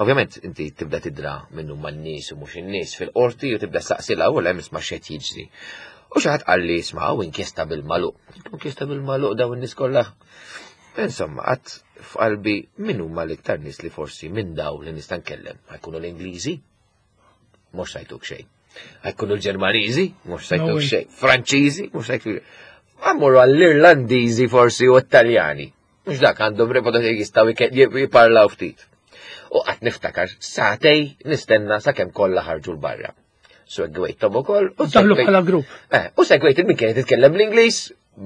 Ovvjament inti tibda tidra minnu man-nies u mhux in-nies fil-qorti u tibda saqsila u hemm isma' x'qed jiġri. U xi ħadd qalli isma' hawn inkjesta bil-magħluq. Inkjesta bil-magħluq daw in-nies kollha. Insomma, għat f'qalbi min huma l-iktar nies li forsi minn daw li nista' nkellem. Ħa jkunu l-Ingliżi? Mhux se jtuk xejn. Ħa jkunu l-Ġermaniżi? Mhux se jtuk xejn. Franċiżi? Mhux se jtuk. Ħa mmorru għall-Irlandiżi forsi u Taljani. Mhux dak għandhom reputazzjoni jistgħu jiparlaw ftit. U qatt niftakar sagħtejn nistenna sakemm kollha ħarġu l-barra. Segwejthom ukoll. U daħlu bħala grupp. Eh, u segwejt il-min kienet titkellem l-Ingliż,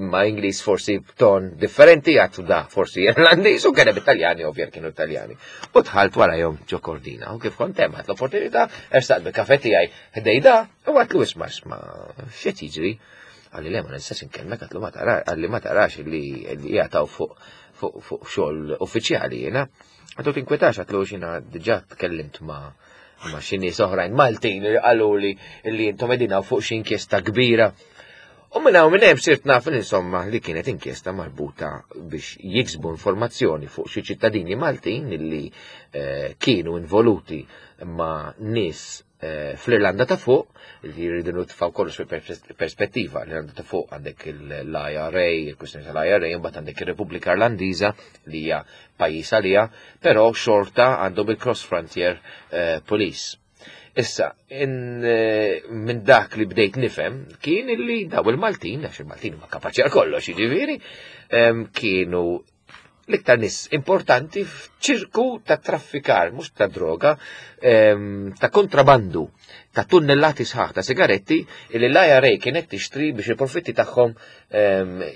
ma Ingliż forsi b'ton differenti, għattu da forsi Irlandiż, u kien Italjani, ovvja kienu Italjani. U dħalt warajhom ġo kordina, u kif kont hemm l-opportunità, ersaqt bil-kafe tiegħi ħdejda, u għatlu isma' isma' x'qed jiġri. Qalli le ma nistax inkellmek, għatlu ma tarax, qalli ma tarax li jgħataw fuq fuq xogħol uffiċjali jiena. Għatlu tinkwetax, għatlu xina diġà tkellimt ma' ma' xi nies oħrajn Maltin li qalu li li intom qegħdin fuq xi inkjesta kbira. U minn hawn minn hemm sirt naf insomma li kienet inkjesta marbuta biex jiksbu informazzjoni fuq xi ċittadini Maltin li eh, kienu involuti ma' nies eh, fl-Irlanda ta' fuq, li jridu nitfgħu kollox fil-perspettiva. L-Irlanda ta' fuq għandek l-I R A, il-kwistjoni tal-I R A, mbagħad għandek ir-Repubblika Irlandiża li hija pajjiż għalija, però xorta għandhom il-Cross Frontier eh, Police. Issa, eh, minn dak li bdejt nifhem kien illi daw il-Maltin, għax il-Maltin ma kapaċi għal kollox, jiġifieri, kienu l-iktar nis importanti f'ċirku ta' traffikar, mhux ta' droga, ta' kontrabandu, ta' tunnellati sħaħ ta' sigaretti li l-I R A kienet tixtri biex il-profitti tagħhom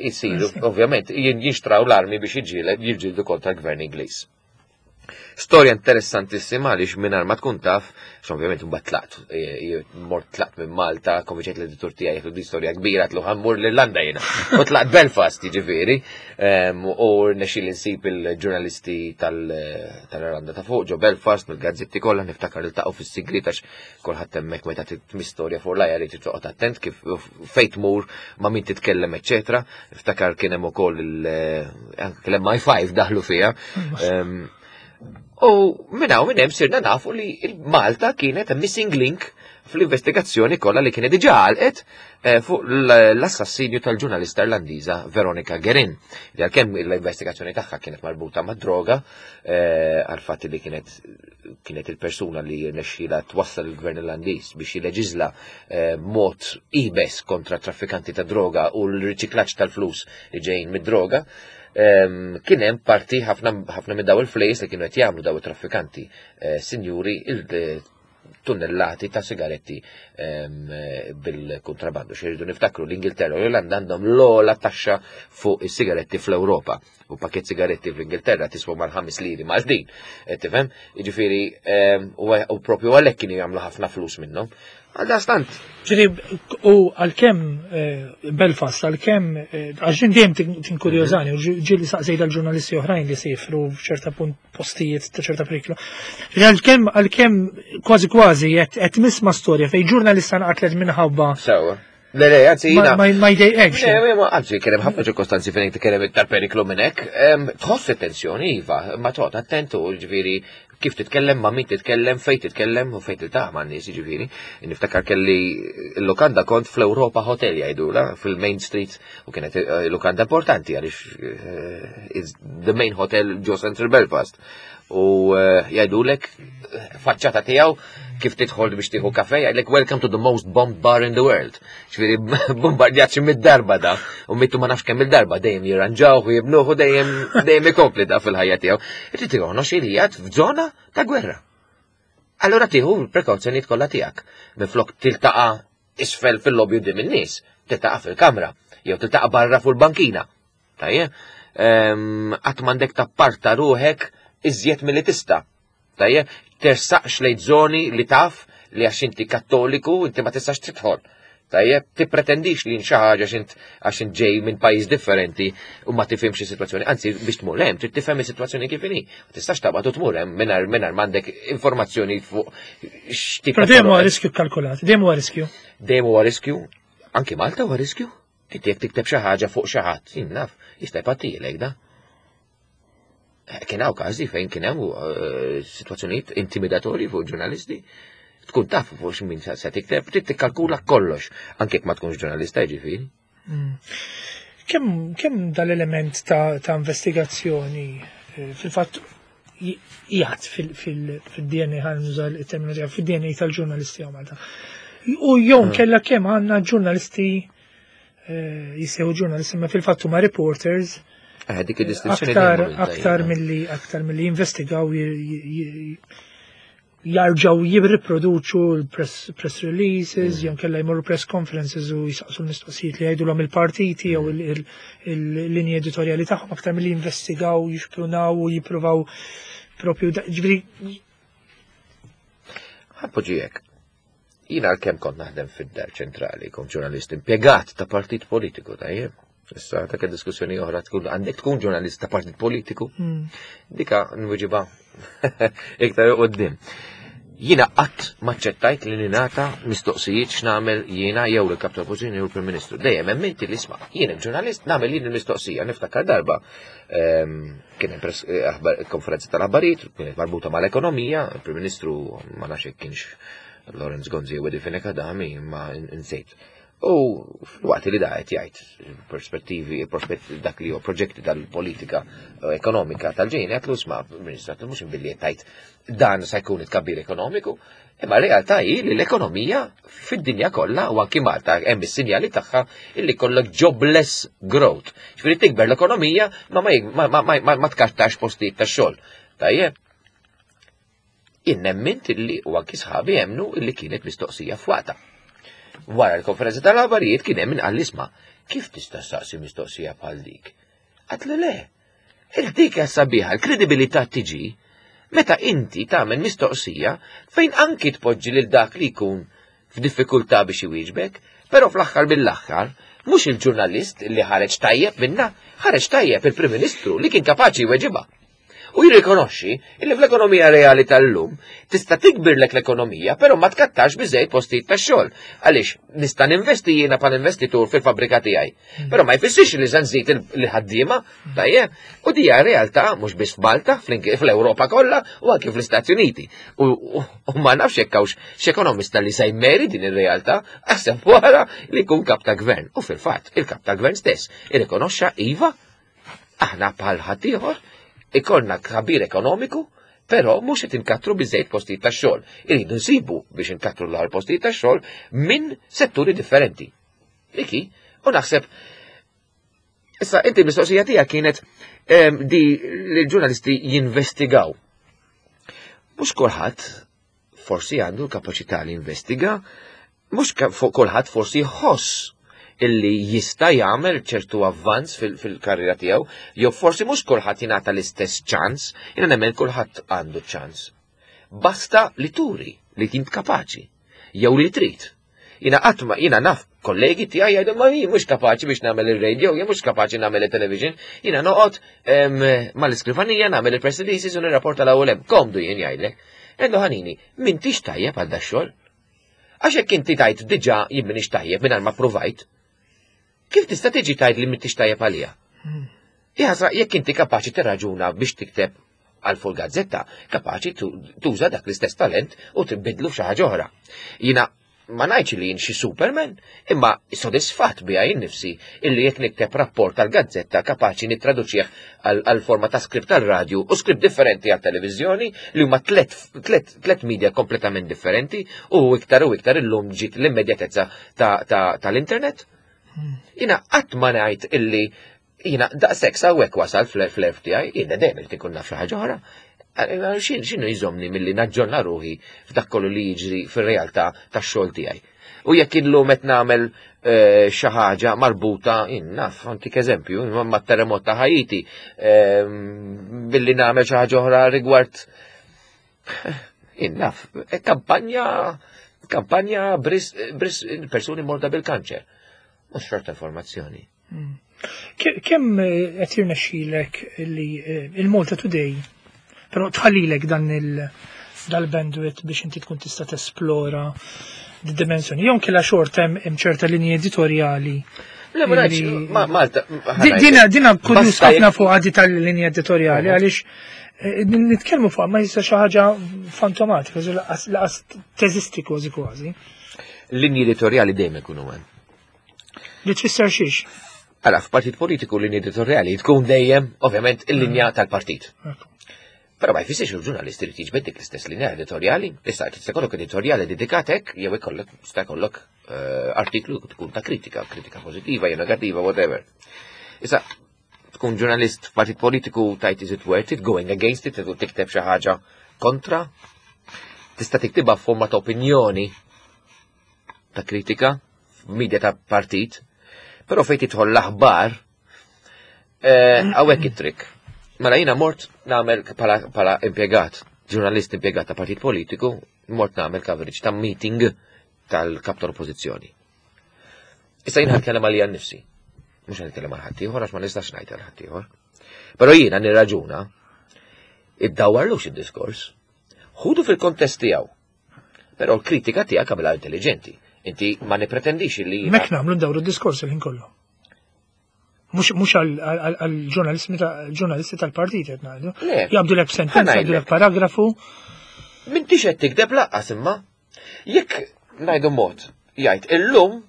jisiru, ovvjament, jinxtraw l-armi biex jiġġieldu kontra l-gvern Ingliż. Storja interessantissima għaliex mingħajr ma tkun taf, ovvjament mbagħad tlaqt, e, e, mort tlaqt minn Malta, konvinċejt l-editur tiegħi jgħidu di storja kbira tlu ħa mmur l-Irlanda jiena. U tlaqt Belfast jiġifieri, u rnexxieli nsib il-ġurnalisti tal-Irlanda ta' fuq ġo Belfast mill-gazzetti kollha niftakar iltaqgħu fis-sigriet għax kulħadd hemmhekk meta tmi storja fuq l-ajja li toqgħod attent kif fejn tmur ma' min titkellem eċċetera. Niftakar kien hemm ukoll l-M I five daħlu fiha. U minn hawn minn hemm sirna nafu li Malta kienet a missing link fl-investigazzjoni kollha li kienet diġà għalqet eh, fuq l-assassinju tal-ġurnalista Irlandiża Veronica Guerin. Li għalkemm l-investigazzjoni tagħha kienet marbuta ma' droga, eh, għal fatt li kienet kienet il-persuna li rnexxiela twassal il-gvern Irlandiż biex jileġizla eh, mod iebes kontra traffikanti ta' droga u l-riċiklaġġ tal-flus li ġejjin mid-droga. Kien hemm parti ħafna ħafna minn daw il-flejs li kienu qed jagħmlu daw it-traffikanti, sinjuri, il-tunnellati ta' sigaretti bil-kontrabandu. Xirridu niftakru l-Ingilterra u l-Irlanda għandhom l-ogħla taxxa fuq is-sigaretti fl-Ewropa. U pakket sigaretti fl-Ingilterra tiswa mal-ħames liri Maltin. Tifhem? Jiġifieri u propju għalhekk kienu jagħmlu ħafna flus minnhom. Għaldaqstant. Ġiri, u għalkemm eh, Belfast, għalkemm, eh, għax dejjem tinkurjożani, u ġieli saqsejt għal-ġurnalisti oħrajn li sifru f'ċerta punt postijiet ta' ċerta periklu. Għalkemm, għalkemm kważi kważi qed nisma' storja fej ġurnalista nqatlet minħabba. Sewa. Le, le, anzi, jina. Ma jdejqekx. Le, ma, anzi, kien hemm ħafna ċirkostanzi fejn kien hemm iktar periklu minn hekk. Tħoss it-tensjoni, iva, ma toqgħod attentu, ġifieri, kif titkellem, ma' min titkellem, fejn titkellem u fejn tiltaqa' ma' nies, ġifieri. Niftakar kelli l-lukanda kont fl-Europa Hotel jgħidula, fil-Main Street, u kienet eh, lukanda importanti għaliex eh, it's the main hotel ġo Central Belfast. U eh, jgħidulek faċċata tiegħu kif tidħol biex tieħu kafe, jgħidlek "Welcome to the most bombed bar in the world." Ġifieri bombardjat xi mid-darba da, u mittu ma nafx kemm il-darba dejjem jirranġaw u jibnuh u dejjem dejjem ikompli da fil-ħajja tiegħu. Irid tirrikonoxxi li qiegħed f'żona ta' gwerra. Allura tieħu l-prekawzjonijiet kollha tiegħek. Minflok tiltaqa' isfel fil-lobby quddiem in-nies, tiltaqa' fil-kamra, jew tiltaqa' barra fuq il-bankina. Tajjeb? Qatt m'għandek tapparta ruħek iżjed milli tista'. Tajjeb? Tersaqx lejn żoni li taf li għax inti kattoliku inti ma tistax tidħol. Tajjeb, tippretendix li xi ħaġa għax int ġej minn pajjiż differenti u ma tifhimx is-sitwazzjoni. Anzi, biex tmur hemm trid tifhem is-sitwazzjoni kif inhi. Ma tistax taqbad u tmur hemm mingħajr mingħajr m'għandek informazzjoni fuq x'tip. Però dejjem huwa riskju kkalkulat, dejjem huwa riskju. Dejjem huwa riskju. Anki Malta huwa riskju. Inti jekk tikteb xi ħaġa fuq xi ħadd, jien naf, jista' jpattilek da. Kien hawn każi fejn kien hemm eh, sitwazzjonijiet intimidatorji fuq ġurnalisti. Tkun taf fuq x'min se tikteb, trid tikkalkula kollox, anke jekk ma tkunx ġurnalista jiġifieri. Mm. Kemm kemm dal-element ta', ta' investigazzjoni eh, fil-fatt jgħat fil-D N A, ħa nuża il-terminoloġija, fil-D N A tal-ġurnalisti hawn Malta? U jew mm. kella kemm għandna ġurnalisti eh, jissejħu ġurnalisti ma fil-fatt huma reporters eh, dik id-distinzjoni aktar aktar milli aktar milli jinvestigaw, jarġaw jirriproduċu l-press press releases, mm. jew kella jmorru press conferences u jisaqsu l-mistoqsijiet li jgħidulhom il-partiti jew mm. il-linji editorjali tagħhom, aktar milli jinvestigaw, jixprunaw u jippruvaw propju, ġifieri. Ħa npoġġihielek. Jiena għalkemm kont naħdem fid-dar ċentrali, kont ġurnalist impjegat ta' partit politiku, tajjeb. Issa ta' diskussjoni oħra tkun għandek tkun ġurnalist ta' partit politiku. Mm. Dika nwiġiba iktar quddiem. Jiena qatt maċċettajt li ningħata mistoqsijiet x'nagħmel jiena jew il-kap tal-Oppożizzjoni jew il-Prim Ministru. Dejjem hemm inti li isma', jien ġurnalist, nagħmel jien il-mistoqsija. Niftakar darba ehm, kien hemm eh, konferenza tal-aħbarijiet, kienet marbuta mal-ekonomija, il-Prim Ministru ma nafx kienx Lawrence Gonzi jew Eddie Fenech Adami, ma insejt. U fil-waqt li da qed jgħid perspettivi, prospetti, dak li hu proġetti tal-politika eh, ekonomika tal-ġejn, qed isma', Ministru, mhux billi qed tgħid dan se jkun it-tkabbir ekonomiku, imma realtà hi li l-ekonomija fid-dinja kollha u anki Malta hemm is-sinjali tagħha illi kollok jobless growth. Ġifieri tikber l-ekonomija ma ma ma ma, ma tkattax postijiet tax-xogħol. Tajjeb. Jien nemmint illi u anki sħabi jemmnu illi kienet mistoqsija f'waqtha. Wara l-konferenza tal-aħbarijiet kien hemm min qal, "Isma', kif tista' saqsi mistoqsija bħal dik?" Għedtlu, "Le. Il-dik sabiħa, l-kredibilità tiġi meta inti tagħmel mistoqsija fejn anki tpoġġi lil dak li jkun f'diffikultà biex iwieġbek, però fl-aħħar mill-aħħar mhux il-ġurnalist li ħareġ tajjeb minna, ħareġ tajjeb il-Prim Ministru li kien kapaċi jweġibha. U jirrikonoxxi illi fl-ekonomija reali tal-lum tista' tikbirlek l-ekonomija, però ma tkattax biżejjed postijiet tax-xogħol. Għaliex nista' ninvesti jiena bħal investitur fil-fabbrika tiegħi. Però ma jfissirx li se nżid il-ħaddiema, tajjeb, u dija realtà mhux biss f'Malta, fl-Ewropa kollha u anke fl-Istati Uniti. U, u ma nafx jekk hawnx x'ekonomista li se jmeri din ir-realtà, aħseb wara li jkun kap ta' gvern. U fil-fatt, il-kap ta' gvern stess irrikonoxxa, iva, aħna bħal ħaddieħor ikollna tkabbir ekonomiku, però mhux qed inkattru biżejjed postijiet tax-xogħol. Iridu nsibu biex inkattru l postijiet tax-xogħol minn setturi differenti. Iki, u naħseb issa inti mistoqsija tiegħek kienet em, di li l-ġurnalisti jinvestigaw. Mhux kulħadd forsi għandu l-kapaċità li jinvestiga, mhux fuq kulħadd forsi jħoss illi jista' jagħmel ċertu avvanz fil-karriera tiegħu, jew forsi mhux kulħadd jingħata l-istess ċans, jiena nemmen kulħadd għandu ċans. Basta li turi li int kapaċi, jew li trid. Jiena qatt ma jiena naf kollegi tiegħi jgħidu, "Ma jien mhux kapaċi biex nagħmel ir-radio, jien mhux kapaċi nagħmel il-television, jiena noqgħod mal-iskrivanija nagħmel il-press releases u nirrapporta l-ewwel hemm. Komdu jien," jgħidlek. Għedtlu, "Ħanini, m'intix tajjeb għal dax-xogħol. Għax jekk inti tgħid diġà jien m'iniex tajjeb mingħajr ma provajt, kif tista' tiġi tgħid li m'intix tajjeb għalija?" Jaħasra, jekk inti kapaċi tirraġuna biex tikteb għal fuq gazzetta, kapaċi tuża dak l-istess talent u tibidlu f'xi ħaġa oħra. Jiena ma ngħidx li jien xi Superman, imma sodisfatt bija jien nifsi illi jekk nikteb rapport tal-gazzetta kapaċi nittraduċih għal forma ta' skript tal-radju u skript differenti għal televiżjoni, li huma tlet, tlet, tlet media kompletament differenti, u iktar u iktar illum ġiet l-immedjatezza tal-internet. Jiena qatt ma ngħid illi jiena daqshekk sawwek wasal fl-F T I, jiena dejjem irid ikun naf xi ħaġa oħra. X'inhu jżommni milli naġġorna ruħi f'dak kollu li jiġri fir-realtà tax-xogħol tiegħi? U jekk illum qed nagħmel eh, xi ħaġa marbuta, naf, antik eżempju, ma' terremot ta' Haiti, ehm, billi nagħmel xi ħaġa oħra rigward naf, eh, kampanja kampanja bris, bris persuni morda bil-kanċer. Mhux xorta informazzjoni. Hmm. Kemm eh, qed jirnexxilek li il-Malta Today però tħallilek dan il dal-bandwidth biex inti tkun tista' tesplora di dimensjoni? Jew kella xort hemm ċerta linji editorjali? Le, ma Malta. Dina dina kurjuż ħafna fuq għadi tal-linja editorjali, għaliex eh, nitkellmu fuq ma jista' xi ħaġa fantomatika, laqas teżisti kważi kważi. Linji editorjali dejjem ikunu hemm. Li tfisser xiex? Għala, f'partit politiku l-linja editorjali tkun dejjem, ovvjament, il-linja tal-partit. Però ma jfissirx il-ġurnalist irid jiġbed dik l-istess linja editorjali. Issa tista' jkollok editorjali dedikatek jew ikollok tista' jkollok eh, artiklu tkun ta' kritika, kritika pożittiva jew negattiva, whatever. Issa tkun ġurnalist f'partit politiku tajt, is it worth it going against it, tikteb xi ħaġa kontra? Tista' tiktibha f'forma ta' opinjoni ta' kritika f'media ta' partit, però fejn tidħol l-aħbar, eh, hawnhekk it-trick. Mela jiena mort nagħmel bħala impjegat, ġurnalist impjegat ta' partit politiku, mort nagħmel coverage ta' meeting tal-kap tal-oppożizzjoni. Issa jiena ħa għalija nnifsi. Mhux ħa għal ħaddieħor għax ma nistax ngħid għal ħaddieħor. Però jiena nirraġuna iddawwarlux id-diskors. Ħudu fil-kontest tiegħu. Però l-kritika tiegħek għamilha intelligenti. Inti ma nipretendix li. Mek nagħmlu ndawru d-diskors il-ħin kollu. Mhux għal-ġurnalisti tal-partit qed ngħidu. Jabdu lek sentenza, jabdu lek paragrafu. M'intix qed tikdeb laqqas imma. Jekk ngħidu mod, jgħid illum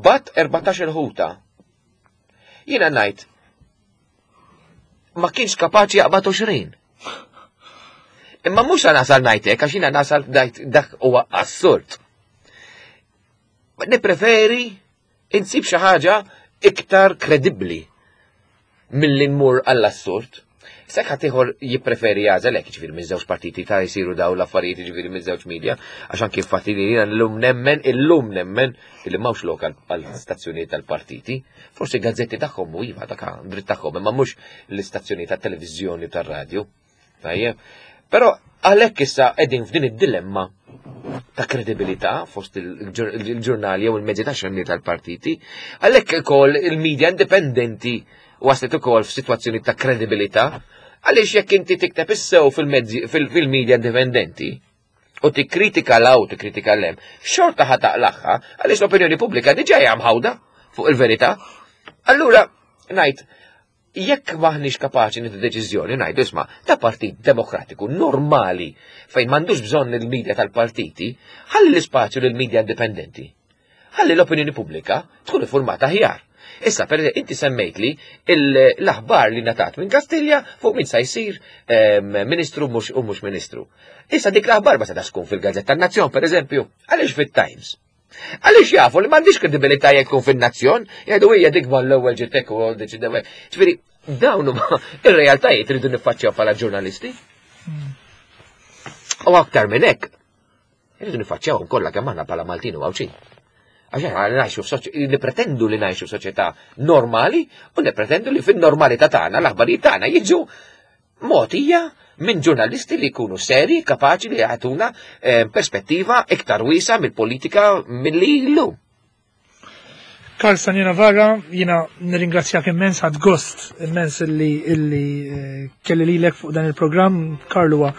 bat erbatax-il ħuta. Jiena ngħid ma kienx kapaċi jaqbad għoxrin. Imma mhux nasal ngħid hekk għax jiena nasal ngħid dak huwa assurd. Nippreferi insib xi ħaġa iktar kredibbli milli nmur għall-assurd. Sekk ħaddieħor jippreferi jagħżel hekk, ġifieri minn żewġ partiti ta' jsiru daw l-affarijiet, ġifieri minn żewġ media, għax anki fatti li jiena llum nemmen, illum nemmen illi m'hawnx lokal għall-istazzjonijiet tal-partiti. Forsi gazzetti tagħhom u iva dak dritt tagħhom, imma mhux l-istazzjonijiet tat-televiżjoni u tar-radju. Tajjeb. Però għalhekk issa qegħdin f'din id-dilemma ta' kredibilità fost il-ġurnali jew il-mezzi ta' xandir tal-partiti, għalhekk ukoll il-media indipendenti waslet ukoll f'sitwazzjoni ta' kredibilità, għaliex jekk inti tikteb issew fil-mezzi fil-media indipendenti u tikkritika 'l hawn tikkritika 'l hemm, xorta ħa taqlagħha għaliex l-opinjoni pubblika diġà hija mħawda fuq il-verità. Allura ngħid jekk maħniex kapaċi nieħdu deċiżjoni ngħidu isma' ta' partit demokratiku normali fejn m'għandux bżonn il-medja tal-partiti, ħalli l-ispazju lil media indipendenti. Ħalli l-opinjoni pubblika tkun informata aħjar. Issa, per inti semmejt li l-aħbar li ngħatat minn Kastilja fuq min sa jsir ministru mhux u mhux ministru. Issa dik l-aħbar ma setax tkun fil-Gazzetta Nazzjon, per eżempju, għaliex fit-Times? Għaliex jafu li m'għandix kredibilità jekk tkun fin-Nazzjon, jgħidu hija dik mal-ewwel ġitek u deċidew. Ġifieri dawn huma ir-realtajiet rridu niffaċċjaw bħala ġurnalisti. U aktar minn hekk, irridu niffaċċjawhom kollha kemm aħna bħala Maltin u Għawdxin. Għax aħna ngħixu nippretendu li ngħixu f'soċjetà normali u nippretendu li fin-normalità tagħna l-aħbarijiet tagħna jiġu mogħtija minn ġurnalisti li jkunu seri, kapaċi li jagħtuna eh, perspettiva iktar wiesa mill-politika milli llum. Karl Stagno Navarra, jiena nirringrazzjak immens, ħadt gost immens illi illi eh, kelli lilek fuq dan il-programm. Karl huwa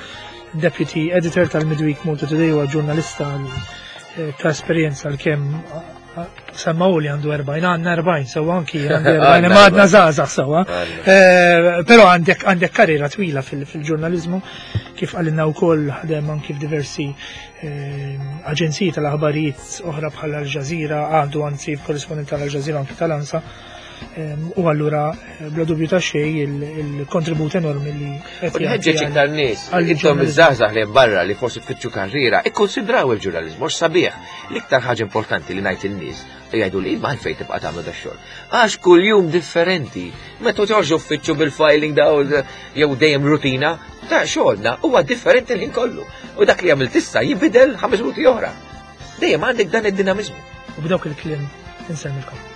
Deputy Editor tal-Midweek Malta Today, huwa ġurnalista eh, ta' esperjenza l-kemm semmaw li għandu erbgħin, għandna erbgħin, sewa anki għandi erbgħin, ma għadna żgħażagħ sewa. Eh, però għandek għandek karriera twila fil-ġurnalizmu, kif għalinna wkoll ħadem anki f'diversi eh, aġenziji tal-aħbarijiet oħra bħal Al Jazeera, għandu anzi korrispondent tal-Al Jazeera, anki tal-ANSA. U allura bla dubju ta' xejn il-kontribut enormi li qed jagħti. Iktar nies, intom iż-żgħażagħ li barra li forsi tfittxu karriera, ikkonsidraw il-ġurnaliżmu għax sabiħ. L-iktar ħaġa importanti li ngħid in-nies jgħidu li ma fejn tibqa' tagħmlu da xogħol. Għax kuljum differenti. Meta toħorġu uffiċċju bil-filing daw jew dejjem rutina, ta' xogħolna huwa differenti l-ħin kollu. U dak li għamilt issa jibidel ħames minuti oħra. Dejjem għandek dan id-dinamiżmu. U b'dawk il-kliem insellmilkom.